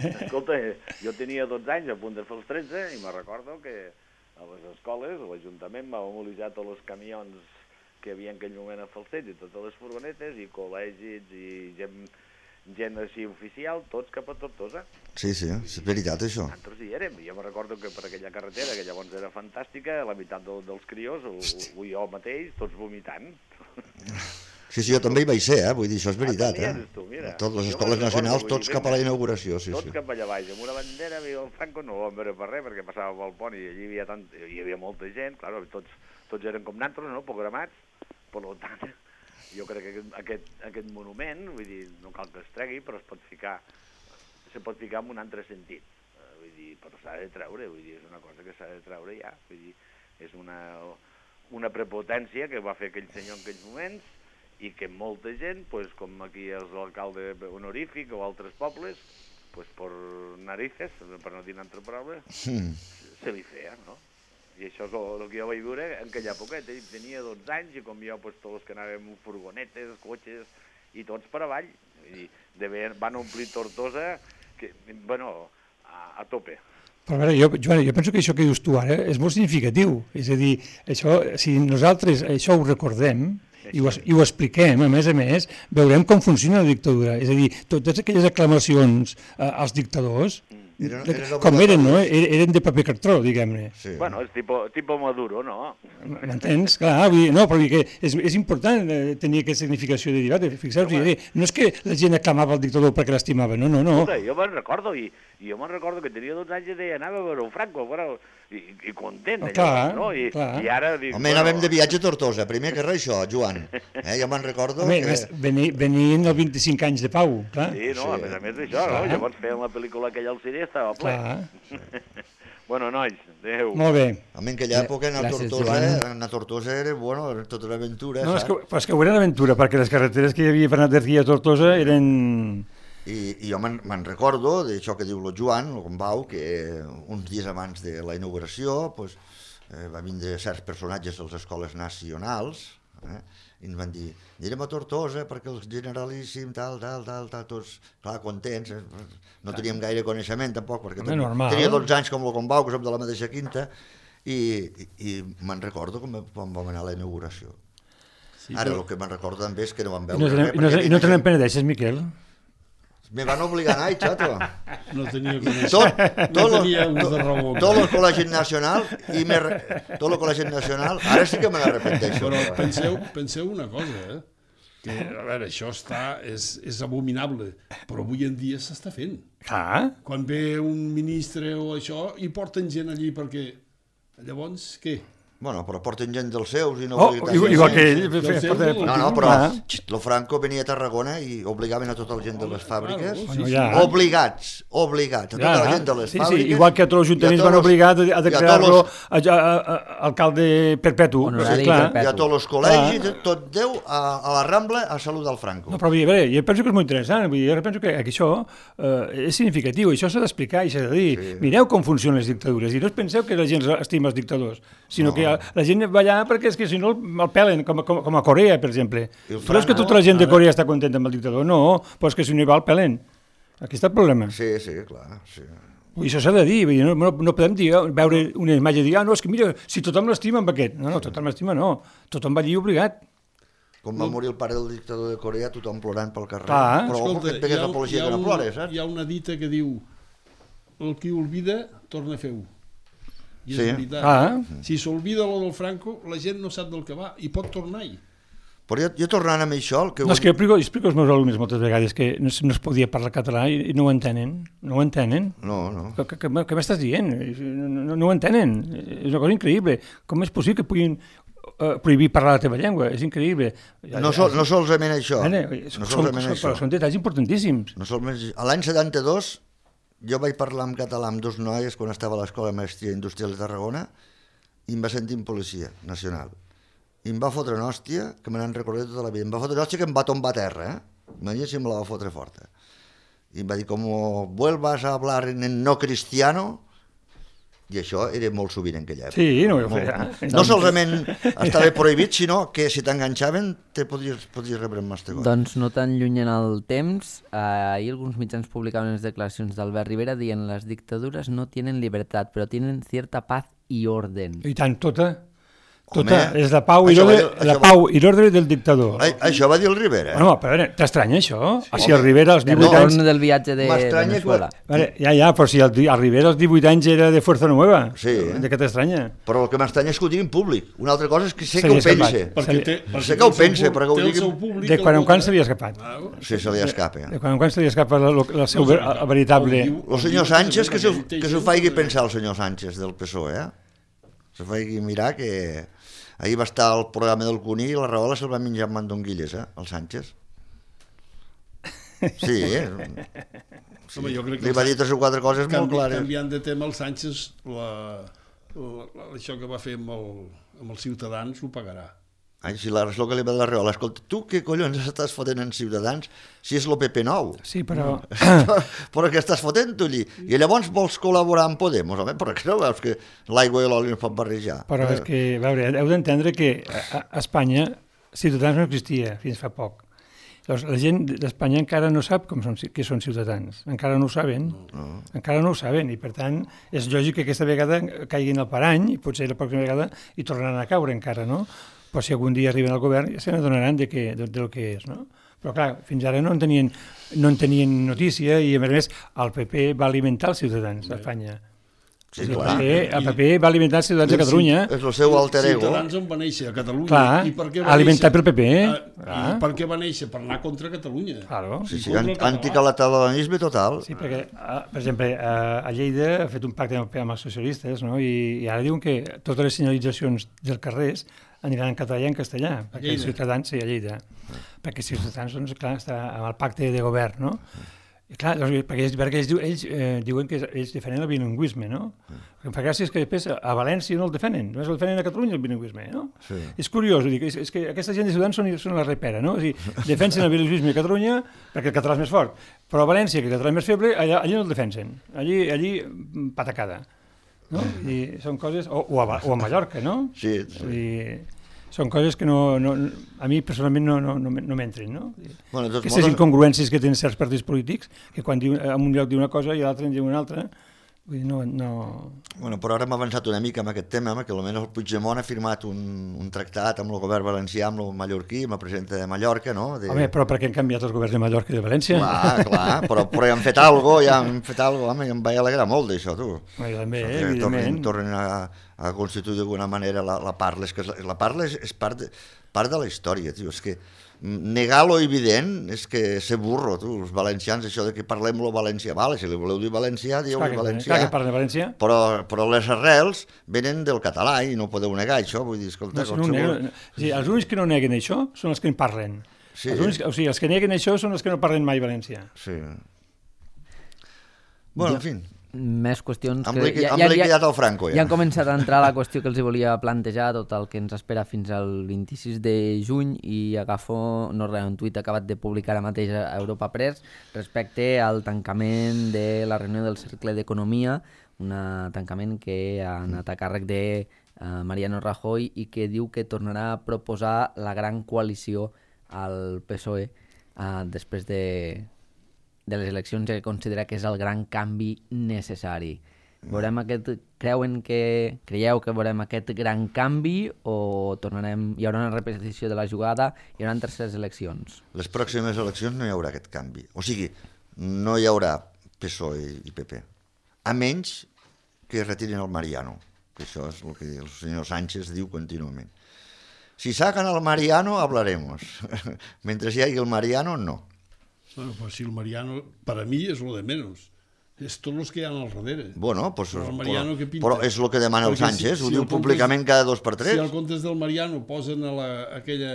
Escolta, jo tenia dotze anys, a punt de fer els tretze, i me recordo que a les escoles, l'Ajuntament va mobilitzar tots els camions que hi havia en aquell moment a Falset, i totes les furgonetes, i col·legis, i gent, gent així oficial, tots cap a Tortosa. Sí, sí, és veritat això. Nosaltres hi érem, jo me recordo que per aquella carretera, que llavors era fantàstica, la meitat de, dels crios, o, o jo mateix, tots vomitant. Sí, sí, jo també hi vaig ser, eh? Vull dir, això és veritat, ah, eh? Tu, mira. Totes les jo escoles nacionals, recordo, tots dir, cap a la inauguració, sí, tots sí. cap allà baix, amb una bandera, i el Franco no ho vam veure per res, perquè passava pel pont i allí hi havia, tant, hi havia molta gent, clar, tots, tots eren com nosaltres, no?, programats, per tant, jo crec que aquest, aquest, aquest monument, vull dir, no cal que es tregui, però es pot ficar, se pot ficar en un altre sentit, vull dir, però s'ha de treure, vull dir, és una cosa que s'ha de treure ja, vull dir, és una, una prepotència que va fer aquell senyor en aquells moments, i que molta gent, pues, com aquí és l'alcalde honorífic o altres pobles, pues, per narices, per no dir una altra paraula, mm. se li feia, no? I això és el, el que jo vaig veure en aquella època. Tenia dotze anys i com jo, pues, tots els que anàvem en furgonetes, cotxes, i tots per avall. I de bé, van omplir Tortosa, que, bueno, a, a tope. Però a veure, jo, Joan, jo penso que això que dius tu ara és molt significatiu. És a dir, això, si nosaltres això ho recordem, I ho, i ho expliquem, a més a més, veurem com funciona la dictadura. És a dir, totes aquelles aclamacions eh, als dictadors, eren, eren com eren, no? Eren de paper cartró, diguem-ne. Sí. Bueno, és tipo, tipo Maduro, no? M'entens? Clar, vull dir, no, però que és, és important tenir aquesta significació de dir, fixeu-vos, sí, no és que la gent aclamava el dictador perquè l'estimava, no, no, no. Escolta, jo me'n recordo, i, i jo me'n recordo que tenia dotze anys i deia, anava a veure un Franco, però... I, i content, oh, clar, no? I, clar. I ara dic... Home, bueno... anàvem de viatge a Tortosa, primer que res això, Joan. Eh, jo me'n recordo Home, que... Venien, venien els vint-i-cinc anys de pau, clar. Sí, no, sí. A més a més d'això, no? Llavors feien la pel·lícula aquella al cine, estava ple. Bueno, nois, adéu. Molt bé. Home, en aquella època anar a Tortosa, anar a Tortosa era, bueno, tota una aventura, no, saps? És que, és que ho era una aventura, perquè les carreteres que hi havia per anar d'aquí a Tortosa eren... I, i jo me'n recordo d'això que diu el Joan, el Gombau, que uns dies abans de la inauguració pues, eh, va vindre certs personatges de les escoles nacionals eh, i ens van dir, anirem a Tortosa perquè el generalíssim, tal, tal, tal, tal, tots, clar, contents, eh, no teníem gaire coneixement tampoc, perquè ten, tenia dotze anys com el Gombau, que som de la mateixa quinta, i, i, i me'n recordo com, com vam anar a la inauguració. Sí, Ara, però... el que me'n recordo també és que no vam veure... I no, res, i no, i no te n'empenedeixes, Miquel? Me van obligar a anar, xato. No tenia coneixement. Tot, no tot, tenia ús de raó. Tot el col·legi nacional, i me, tot el col·legi nacional, ara sí que me n'arrepenteixo. Però penseu, penseu una cosa, eh? Que, a veure, això està, és, és abominable, però avui en dia s'està fent. Ah. Quan ve un ministre o això, i porten gent allí perquè... Llavors, què? Bueno, però porten gent dels seus i no... Oh, igual, igual que ell. No, no, però el Franco venia a Tarragona i obligaven a tota la gent de les fàbriques. Bueno, ja. Obligats, obligats, a tota ja. la gent de les sí, fàbriques. Sí, igual que a tots els ajuntaments van obligar a declarar-lo alcalde perpetu. Honorari perpetu. I a tots els col·legis, tot Déu, a, a la Rambla, a saludar el Franco. No, però a veure, jo penso que és molt interessant, vull dir, jo penso que això eh, és significatiu, això s'ha d'explicar i s'ha de dir, sí. Mireu com funcionen les dictadures, i no us penseu que la gent estima els dictadors, sinó no. que la gent va allà perquè és que si no el pelen, com, com, com a Corea, per exemple. Tu Franco, creus que tota la gent de Corea està contenta amb el dictador? No, però és que si no hi va el pelen. Aquí està el problema. Sí, sí, clar, sí. I això s'ha de dir, no, no, no podem dir, veure una imatge i dir, ah, no, és que mira, si tothom l'estima amb aquest. No, no, tothom l'estima no, tothom va allí obligat. Com va morir el pare del dictador de Corea, tothom plorant pel carrer. Clar. Però Escolta, et pegues hi ha- l'apologia hi ha que no un- plores, saps? Hi ha una dita que diu el qui olvida torna a fer-ho. I és Sí. veritat. Ah. Si s'olvida lo del Franco, la gent no sap del que va i pot tornar-hi. Però jo, jo tornant amb això... El que No, és que jo explico, explico als meus alumnes moltes vegades que no, es- no es podia parlar català i, i no ho entenen, no ho entenen. No, no. Què, què, què m'estàs dient? No, no, no ho entenen. És una cosa increïble. Com és possible que puguin uh, prohibir parlar la teva llengua? És increïble. No, sol, no solament això. Bueno, No són, solament són, això. però són detalls importantíssims. No solament... A l'any setanta-dos jo vaig parlar en català amb dos noies quan estava a l'Escola de Maestria Industrial de Tarragona i em va sentir en policia nacional. I em va fotre una hòstia que me n'han recordat tota la vida. Em va fotre una hòstia que em va tombar a terra, eh? Imagina si me la va fotre forta. I em va dir, com vuelvas a hablar en no cristiano, i això era molt sovint en aquella època. Sí, no ho Molt. feia. No solament estava prohibit, sinó que si t'enganxaven te podries, podries rebre un mastegó. Doncs no tan lluny en el temps, eh, ahir alguns mitjans publicaven les declaracions d'Albert Rivera dient les dictadures no tienen libertad, però tienen cierta paz y orden. I tant, tota. Tota, Home, és la pau i això va l'ordre dir- la això va- pau i l'ordre del dictador. A, això va dir el Rivera. Bueno, però a veure, t'estranya això? Sí, si el Rivera als Del divuit anys... retorn del viatge de M'estranya Venezuela. que- Vale, ja, ja, però si el, el Rivera als divuit anys era de Fuerza Nueva, Sí. de què t'estranya? Però el que m'estranya és que ho digui en públic. Una altra cosa és que sé Se que li ho ha escapat. pense. Perquè Se té, li- perquè sé té que ho el seu pense, públic- però que ho té el digui- seu públic De que quan el en quan vota. se li ha escapat. Claro. Sí, se li escapa. De quan en quan se li escapa el, el seu ver- el veritable... El diu- El senyor Sánchez, que s'ho Té que s'ho gent faci que- pensar el senyor Sánchez del P S O E, eh? Se faci mirar que... Ahir va estar al programa del Cuní i la Rahola se'l va menjar amb mandonguilles, eh? El Sánchez. Sí, eh? Sí. Home, jo crec que Li el va dir Sánchez- tres o quatre coses molt Canvi, clares. canviant de tema, el Sánchez, la, la, la, això que va fer amb, el, amb els ciutadans ho pagarà. Ai, si la, és el que li va dir la Rahola. Escolta, tu què collons estàs fotent en Ciutadans si és el P P nou? Sí, però... Però què estàs fotent tu allí? I llavors vols col·laborar amb Podemos, home? Però que no veus que l'aigua i l'oli no es pot barrejar? Però és que, a veure, heu d'entendre que a, a Espanya Ciutadans no existia fins fa poc. Llavors, la gent d'Espanya encara no sap com són, què són ciutadans. Encara no ho saben. No. Encara no ho saben i, per tant, és lògic que aquesta vegada caiguin al parany i potser la pròxima vegada hi tornaran a caure encara, no? Però si algun dia arriben al govern ja se n'adonaran de, que, de, de lo que és, no? Però clar, fins ara no en tenien, no en tenien notícia i a més a més el P P va alimentar els ciutadans d'Espanya. Sí, el, clar. P P, el P P va alimentar els ciutadans de Catalunya. És el seu alter ego. Ciutadans on va néixer, a Catalunya. Clar, I per què va alimentat pel néixer? P P. Ah, Clar. I per què va néixer? Per anar contra Catalunya. Claro. Sí, sí, Contra el català. anticatalanisme total. Sí, perquè, eh, per exemple, eh, a Lleida ha fet un pacte amb, amb els socialistes, no? I, i ara diuen que totes les senyalitzacions dels carrers aniran en català i en castellà, perquè els Lleida. ciutadans, sí, a Lleida, perquè els ciutadans, doncs, clar, està amb el pacte de govern, no? I clar, doncs, perquè ells, perquè ells, diu- ells eh, diuen que ells defenen el bilingüisme, no? El que em fa gràcia és que després a València no el defenen, només el defenen a Catalunya el bilingüisme, no? Sí. És curiós, vull dir, que és, és que aquesta gent de Ciutadans són, són la repera, no? O sigui, defensen el bilingüisme a Catalunya perquè el català és més fort, però a València, que el català és més feble, allà, allà no el defensen, allí, allí mm, patacada, no? I són coses... O, o, a, Va- o a Mallorca, no? Sí, sí. Vull dir, són coses que no, no, a mi personalment no, no, no, no m'entren, no? Bueno, doncs Aquestes moltes- incongruències que tenen certs partits polítics, que quan diu, en un lloc diu una cosa i a l'altre en diu una altra, vull dir, no... no... Bueno, però ara hem avançat una mica amb aquest tema, home, que almenys el Puigdemont ha firmat un, un tractat amb el govern valencià, amb el mallorquí, amb el president de Mallorca, no? De... Home, però per què han canviat els governs de Mallorca i de València? Clar, clar, però, però ja han fet alguna cosa, ja han fet alguna cosa, home, i em vaig alegrar molt d'això, tu. Home, jo també, Que evidentment. tornin, tornin a, a constituir d'alguna manera la, la parla. És que la, la parla és, és part, de, part de la història, tio. És que negar lo evident és que ser burro, tu. Els valencians, això de que parlem lo valencià, vale, si li voleu dir valencià, dieu Clar que, valencià. clar que parlen de València. Però, però les arrels venen del català i no podeu negar això, vull dir, escolta, No, si no ho neguen, sí, els únics que no neguen això són els que en parlen. Sí. Els, únics, o sigui, els que neguen això són els que no parlen mai valencià. Sí. Bueno, en fi, Més qüestions hem, que... liqui, hem liquidat el Franco, Ja ja. han començat a entrar a la qüestió que els hi volia plantejar, tot el que ens espera fins al vint-i-sis de juny, i agafo, no res, un tuit acabat de publicar ara mateix a Europa Press respecte al tancament de la reunió del Cercle d'Economia, un tancament que ha anat a càrrec de uh, Mariano Rajoy, i que diu que tornarà a proposar la gran coalició al P S O E uh, després de, de les eleccions, que considera que és el gran canvi necessari. Veurem aquest, creuen que, creieu que veurem aquest gran canvi o tornarem, hi haurà una repetició de la jugada, hi haurà terceres eleccions? Les pròximes eleccions no hi haurà aquest canvi. O sigui, no hi haurà P S O E i P P. A menys que retirin el Mariano, que això és el que el senyor Sánchez diu contínuament. Si sacan al Mariano, hablaremos. Mentre hi hagi el Mariano, no. Bueno, pues si el Mariano, para mí, es lo de menos. És tots els que hi ha al darrere. Bueno, pues, però, el Mariano, però, què pinta? però és el que demana el Sánchez, si, ho si diu públicament cada dos per tres. Si al comptes del Mariano posen a la, aquella...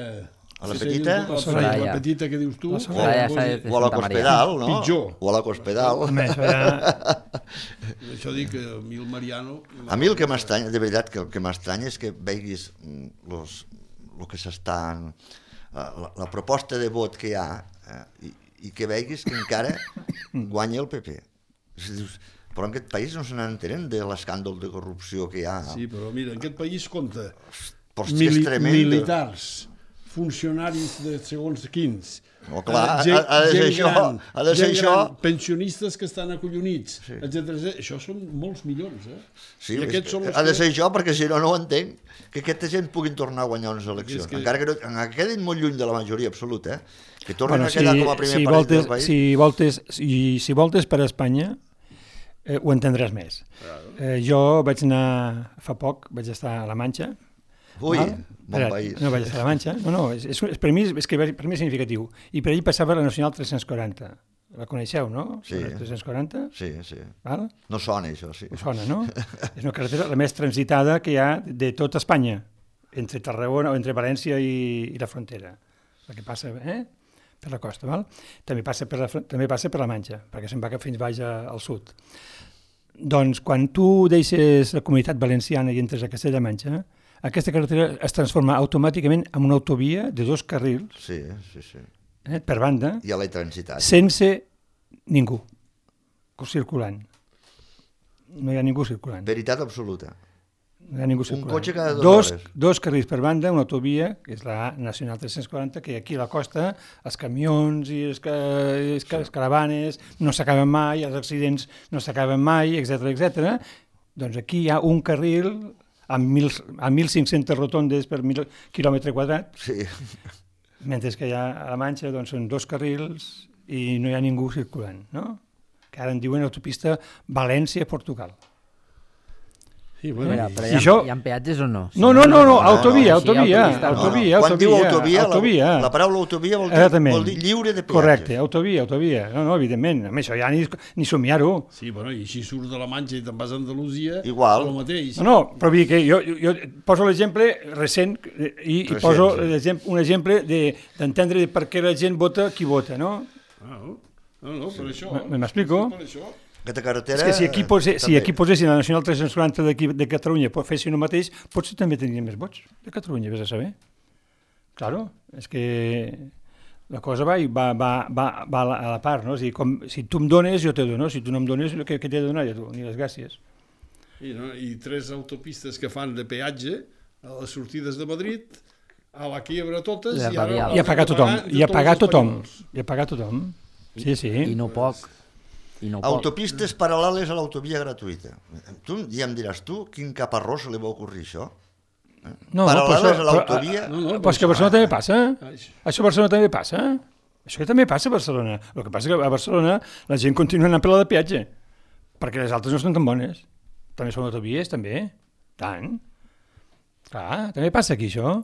A la petita? A la, la petita que dius tu. La Soraya, o, o a la Cospedal, no? Pitjor. O a la Cospedal. Home, això ja... Això dic que a mi el Mariano... A mi el que m'estranya, de veritat, que el que m'estranya és que veguis los, el que s'estan... La, la proposta de vot que hi ha eh, i, i que veguis que encara guanya el P P. Dius, però en aquest país no se n'entenen de l'escàndol de corrupció que hi ha. Sí, però mira, en aquest país compta Mili militars, funcionaris de segons quins, no, clar, gent, ha, ha de ser això, gran, ha de ser això. Gran, pensionistes que estan acollonits, sí. etcètera. Això són molts milions, eh? Sí, I aquests són els ha de que... ser això, perquè si no, no ho entenc, que aquesta gent puguin tornar a guanyar unes eleccions. Que... Encara que no, encara quedin molt lluny de la majoria absoluta, eh? Que tornin bueno, a quedar si, com a primer si partit voltes, del país. Si voltes, si, si voltes per Espanya, eh, ho entendràs més. Claro. Eh, jo vaig anar, fa poc, vaig estar a la Manxa. Ui, val? Bon Era, país. No, vaig estar a la Manxa. No, no, és, és, per, mi, és que per mi és significatiu. I per allà passava la Nacional tres-cents quaranta. La coneixeu, no? Sí. La tres-cents quaranta? Sí, sí. Val? No sona, això, sí. No sona, no? És una carretera la més transitada que hi ha de tota Espanya, entre Tarragona o entre València i, i la frontera. La que passa, eh? Per la costa, val? També passa per la, també passa per la Manxa, perquè se'n va fins baix a, al sud. Doncs quan tu deixes la Comunitat Valenciana i entres a Castella-Manxa, aquesta carretera es transforma automàticament en una autovia de dos carrils, sí, sí, sí. Eh, per banda, i a la transitat, sense ningú circulant. No hi ha ningú circulant. Veritat absoluta. No hi ha ningú circulant. Un cotxe cada dues dos, hores. Dos carrils per banda, una autovia, que és la Nacional tres-cents quaranta, que aquí a la costa els camions i les, les, les caravanes no s'acaben mai, els accidents no s'acaben mai, etcètera, etcètera. Doncs aquí hi ha un carril amb, mil, amb mil cinc-centes rotondes per mil quilòmetre quadrat, sí. Mentre que hi ha a la Manxa doncs, són dos carrils i no hi ha ningú circulant, no? Que ara en diuen autopista València-Portugal. Sí, bueno, Mira, però hi ha, això... hi ha peatges o no? Si no, no, no, no, autovia, no, autovia, no, autovia, no. Quan diu autovia, autovia. La, la paraula autovia vol dir, vol dir lliure de peatges. Correcte, autovia, autovia. No, no, evidentment, a més, això ja ni, ni somiar-ho. Sí, bueno, i si surts de la Manxa i te'n vas a Andalusia, igual. El mateix. No, no, però vull dir que jo, jo poso l'exemple recent i, i poso sí. un exemple d'entendre de per què la gent vota qui vota, no? Ah, no, no, no per això. M'explico? Per això. Aquesta carretera... És que si aquí, pose, si aquí posessin la Nacional tres-cents quaranta de Catalunya fessin el mateix, potser també tindrien més vots de Catalunya, vés a saber. Claro, és que la cosa va, va, va, va, va a la part, no? És dir, com, si tu em dones, jo te dono, si tu no em dones, què, què t'he de donar jo tu? Ni les gràcies. I, no? I tres autopistes que fan de peatge a les sortides de Madrid, a la quiebra totes, i ara... I a pagar tothom, i a pagar tothom, i a pagar tothom. Sí, sí. I no poc. I no Autopistes paral·leles a l'autovia gratuïta. Tu ja em diràs tu, quin caparrós se li va ocorrir això? Eh? No, paral·leles però, a l'autovia... No, no, però és que a Barcelona també passa. Això a Barcelona també passa. Això també passa a Barcelona. El que passa és que a Barcelona la gent continua anant per la de peatge, perquè les altres no són tan bones. També són autovies, també. Tant. Clar, també passa aquí, això.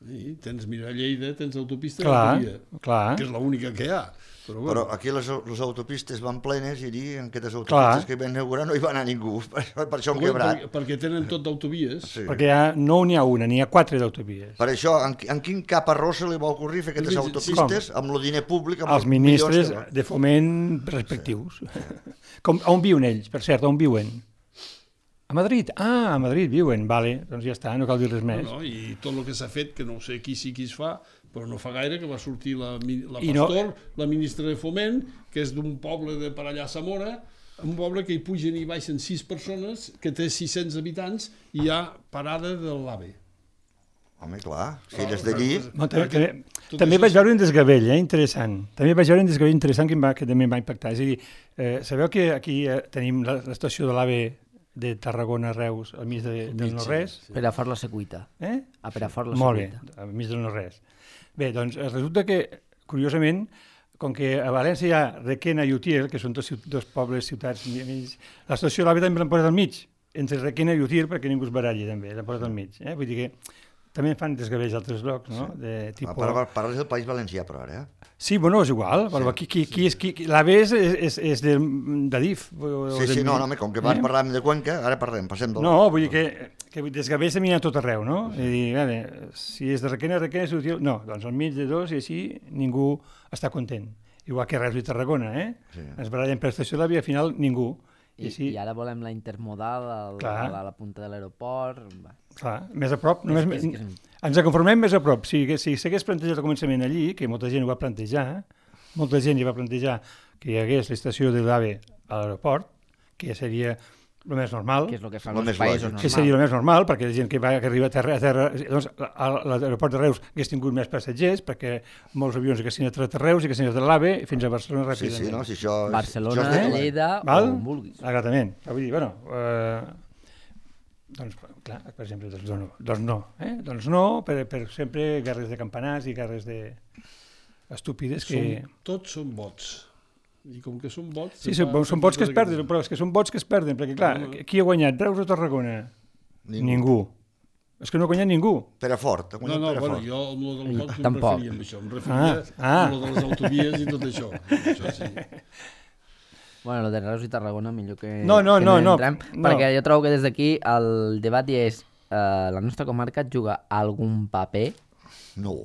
Sí, tens, mira, a Lleida tens autopista clar, gratuïta, clar. que és l'única que hi ha. Però, bueno. Però aquí les, les autopistes van plenes i allí, en aquestes autopistes clar. Que van inaugurar no hi va anar ningú, per, per això han bueno, quebrat. Per, perquè tenen tot d'autovies. Sí. Perquè ha, no n'hi ha una, n'hi ha quatre d'autovies. Per això, en, en quin cap arròs se li va ocorrir fer aquestes autopistes sí. amb el diner públic? Amb els ministres de foment respectius. Sí. Com, on viuen ells, per cert, on viuen? A Madrid? Ah, a Madrid viuen, vale, doncs ja està, no cal dir res més. No, no, I tot el que s'ha fet, que no sé qui sí qui es fa, però no fa gaire que va sortir la, la I Pastor, no... la ministra de Foment, que és d'un poble de per allà a Zamora, un poble que hi pugen i baixen sis persones, que té sis-cents habitants i hi ha parada de l'AVE. Home, clar, si eres d'allí... No, també també, també vaig veure un desgavell, eh, interessant. També vaig veure un desgavell interessant que, em va, que també em va impactar. És a dir, eh, sabeu que aquí eh, tenim l'estació de l'AVE de Tarragona-Reus al mig de, del no-res? Sí. Perafort la Secuita. Eh? A Perafort la Molt bé, Secuita. al mig del no-res. Bé, doncs resulta que, curiosament, com que a València hi ha Requena i Utiel, que són dos, dos pobles, ciutats, l'estació de l'AVE també l'han posat al mig, entre Requena i Utiel, perquè ningú es baralli també, l'han posat al mig. Eh? Vull dir que també fan desgavells a altres llocs, no? Sí. De, tipo... Parles del País Valencià, però ara, eh? Sí, bueno, és igual. Sí, qui, qui, qui és, qui, l'AVE és, és, és de, de D I F. Sí, sí, no, no, com que abans eh? parlàvem de Cuenca, ara parlem, passem del... No, vull dir que, que desgavells també hi ha tot arreu, no? Sí. I dir, veure, si és de Requena, Requena, és útil... No, doncs al mig de dos i així ningú està content. Igual que Reus i Tarragona, eh? Sí. Ens barallen per l'estació de l'AVE i al final ningú. I, I, I ara volem la intermodal al, a, la, a la punta de l'aeroport... Clar, més a prop. Només, és, és que... Ens conformem més a prop. Si, si s'hagués plantejat al començament allí, que molta gent ho va plantejar, molta gent hi va plantejar que hi hagués l'estació de l'AVE a l'aeroport, que seria el més normal. Que és el que fan els països normals. Que seria el més normal, perquè la gent que, va, que arriba a terra... A terra doncs, a l'aeroport de Reus hagués tingut més passatgers, perquè molts avions haguessin entrat a Reus i haguessin entrat a l'AVE fins a Barcelona ràpidament. Sí, sí, no? Si això, Barcelona, això Lleida, val? on vulguis. Exactament. Vull dir, bueno... Eh, doncs, clar, per exemple, doncs no. Doncs no, eh? doncs no per, per sempre guerres de campanars i guerres de estúpides que... Som, tots són vots. I com que són vots... Sí, són, són vots que es perden, però és que són vots que es perden, perquè clar, no, qui ha guanyat, Reus o Tarragona? Ningú. ningú. És que no ha guanyat ningú. Perafort, ha guanyat no, no, Perafort. Bueno, jo amb lo del vots no em Tampoc. referia amb això, em referia ah, ah. amb lo de les autovies i tot això. això sí. Bueno, el de Reus i Tarragona millor que, no, no, que no, no, no entrem, no. perquè jo trobo que des d'aquí el debat ja és eh, la nostra comarca juga algun paper no.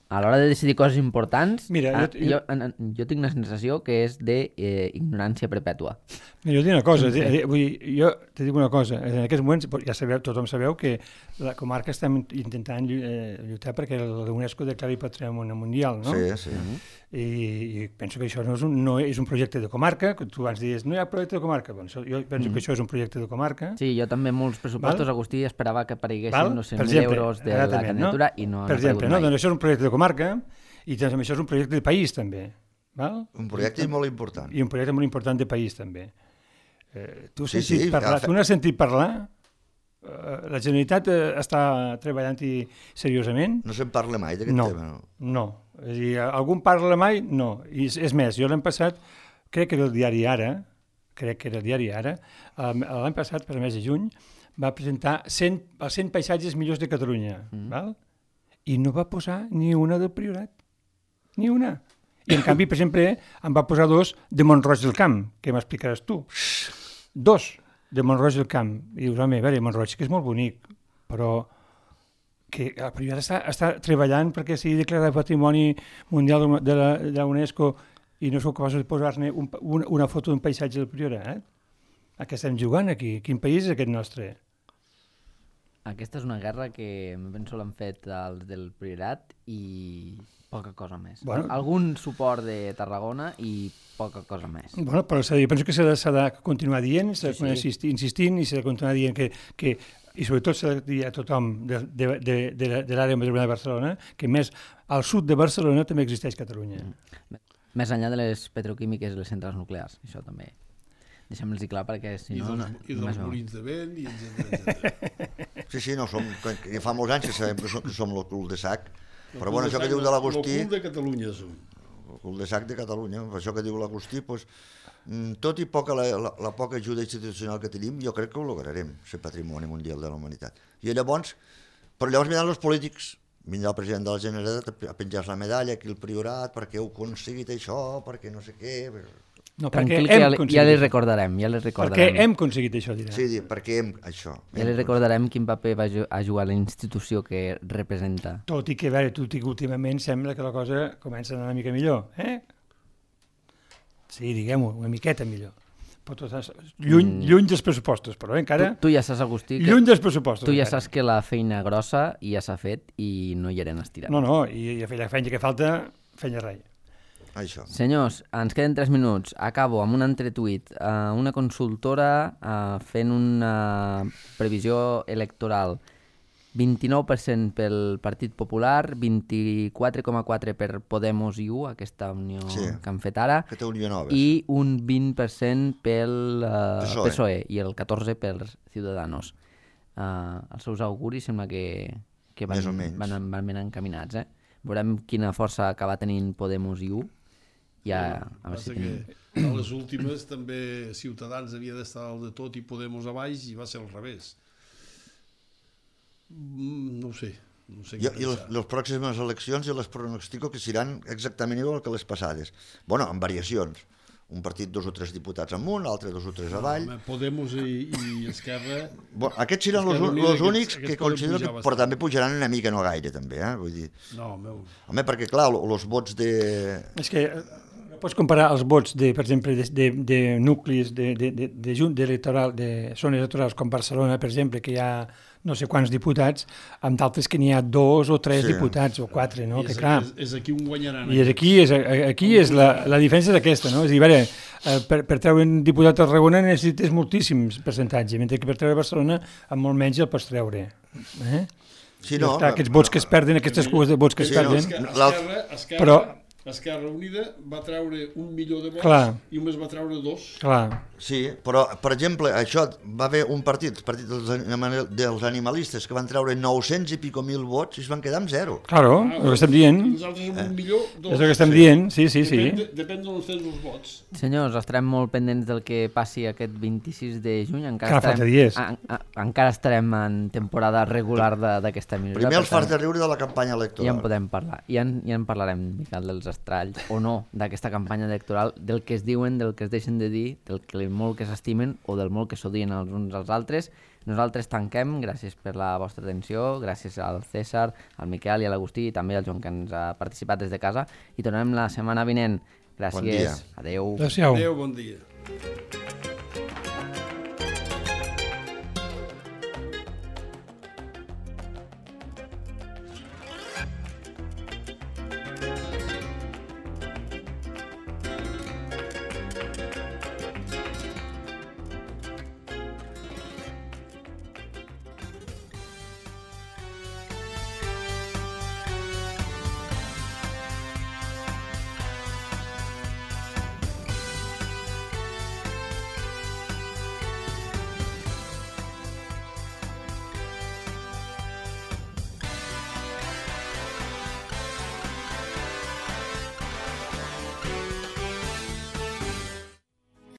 a l'hora de decidir coses importants. Mira, jo, jo, jo, jo tinc una sensació que és d'ignorància eh, perpètua. Mira, jo dic una cosa, sí. vull dir, jo te dic una cosa, en aquests moments ja sabeu, tothom sabeu que la comarca estem intentant lluitar perquè la UNESCO declari patrimoni mundial, no? Sí, sí. I, i penso que això no és, un, no és un projecte de comarca, que tu abans dius, no hi ha projecte de comarca, bueno, jo penso mm. que això és un projecte de comarca. Sí, jo també molts pressupostos, Val? Agustí, esperava que apareguessin Val? no sé, mil euros de la candidatura no? i no per han exemple, aparegut no? mai. Doncs això és un projecte de comarca i també això és un projecte de país també. Val? Un projecte molt important. I un projecte molt important de país també. Eh, tu, sí, sí, parlar, ja, tu n'has sentit parlar? Eh, la Generalitat eh, està treballant-hi seriosament? No se'n parla mai d'aquest no, tema. No, no. És a dir, algun parla mai? No. I és, és més, jo l'any passat, crec que era el diari Ara, crec que era el diari Ara, l'any passat, per el mes de juny, va presentar cent, els cent paisatges millors de Catalunya, mm. val? I no va posar ni una del Priorat, ni una. I en canvi, per exemple, em va posar dos de Mont-roig del Camp, que m'explicaràs tu. Dos de Mont-roig del Camp. I dius, home, a veure, Mont-roig, que és molt bonic, però que el Priorat està, està treballant perquè sigui declarat patrimoni mundial de la, de la UNESCO i no sou capaços de posar-ne un, una, una foto d'un paisatge del Priorat. Eh? A què estem jugant aquí? Quin país és aquest nostre? Aquesta és una guerra que me penso l'han fet els del Priorat i poca cosa més. Bueno, algun suport de Tarragona i poca cosa més. Bueno, però jo penso que s'ha de, s'ha de continuar dient, s'ha de sí, sí. insistir, insistint i s'ha de continuar dient que, que i sobretot s'ha de dir a tothom de, de, de, de, de l'àrea metropolitana de Barcelona que més al sud de Barcelona també existeix Catalunya. Mm. Més enllà de les petroquímiques i les centrals nuclears, això també. Deixem-los-hi clar perquè si no... I dels, no, i dels molins de vent i etcètera. Sí, sí, no, som, que fa molts anys que sabem que som, que som el cul de sac, però bueno, això que diu de l'Agustí... El cul de Catalunya som. El cul de sac de Catalunya, això que diu l'Agustí, doncs, tot i poca la, la, la poca ajuda institucional que tenim, jo crec que ho lograrem, ser patrimoni mundial de la humanitat. I llavors, però llavors vindran els polítics, vindrà el president de la Generalitat a penjar la medalla aquí al Priorat, perquè heu aconseguit això, perquè no sé què... No, tranquil, que ja, ja li recordarem, ja li recordarem. Perquè hem aconseguit això, dirà. Sí, perquè hem això. Ja li recordarem quin paper va a jugar la institució que representa. Tot i que, a veure, tot i que últimament sembla que la cosa comença a anar una mica millor, eh? Sí, diguem-ho, una miqueta millor. Però tot és lluny, mm. lluny dels pressupostos, però eh, encara... Tu, tu ja saps, Agustí, que... Lluny dels pressupostos. Tu ja encara. saps que la feina grossa ja s'ha fet i no hi eren estirat. No, no, i, i la feina que falta, feina rai. Això. Senyors, ens queden tres minuts. Acabo amb un entretuit. Uh, una consultora uh, fent una previsió electoral. vint-i-nou per cent pel Partit Popular, vint-i-quatre coma quatre per cent per Podemos i U, aquesta unió Sí. que han fet ara, Aquesta unió nova. i un vint per cent pel uh, P S O E. P S O E i el catorze per cent per Ciudadanos. Uh, els seus auguris sembla que, que van, Més o menys. van, van ben encaminats. Eh? Veurem quina força acaba tenint Podemos i U. Ja, a veure si Passa tenim... que a les últimes també Ciutadans havia d'estar al de tot i Podemos a baix i va ser al revés. Mm, no ho sé. No sé I, què i les, pensar. les pròximes eleccions jo les pronostico que seran exactament igual que les passades. Bueno, amb variacions. Un partit dos o tres diputats amunt, l'altre dos o tres avall. Home, Podemos i, i Esquerra... Bueno, aquests seran els, Esquerra Unida, els únics aquests- que aquests poden considero que, pujar però bastant. també pujaran una mica, no gaire, també, eh? Vull dir, No, meu... home, perquè, clar, els vots de... És que eh, pots comparar els vots, de, per exemple, de, de, de nuclis de, de, de, de, junt electoral, de zones electorals com Barcelona, per exemple, que hi ha no sé quants diputats, amb d'altres que n'hi ha dos o tres Sí. diputats o quatre, no? I Que és, clar, és, és aquí on guanyaran. i és aquí, és, aquí és la, la diferència és aquesta, no? És a dir, veure, eh, per, per treure un diputat a Tarragona necessites moltíssims percentatges, mentre que per treure Barcelona amb molt menys el pots treure. Eh? Sí, No, no, clar, aquests vots que es perden, aquestes cues de vots que es Sí, no, perden... és que- Esquerra, Esquerra, Però- Esquerra Unida va treure un milió de vots Clar. i només va treure dos. Clar, sí, però, per exemple, això va haver un partit, el partit dels, anima- dels animalistes, que van treure nou-cents i pico mil vots i es van quedar amb zero. claro, Ah, el que estem dient, I nosaltres amb un milió, dos. és el que estem dient, sí, sí, sí. Depèn, de, depèn d'on estén els vots. Senyors, estarem molt pendents del que passi aquest vint-i-sis de juny. Encara Encara falta estarem, dies. a, a, encara estarem en temporada regular de- d'aquesta emissora. Primer per els fas tant, de riure de la campanya ja en electoral. podem parlar. Ja en, ja en parlarem, Miquel, dels estralls o no d'aquesta campanya electoral, del que es diuen, del que es deixen de dir, del que molt que s'estimen o del molt que s'odien els uns als altres. Nosaltres tanquem, gràcies per la vostra atenció, gràcies al César, al Miquel i a l'Agustí i també al Joan que ens ha participat des de casa i tornem la setmana vinent. Gràcies. Bon dia. Adeu. Adéu-siau. Adéu, bon dia.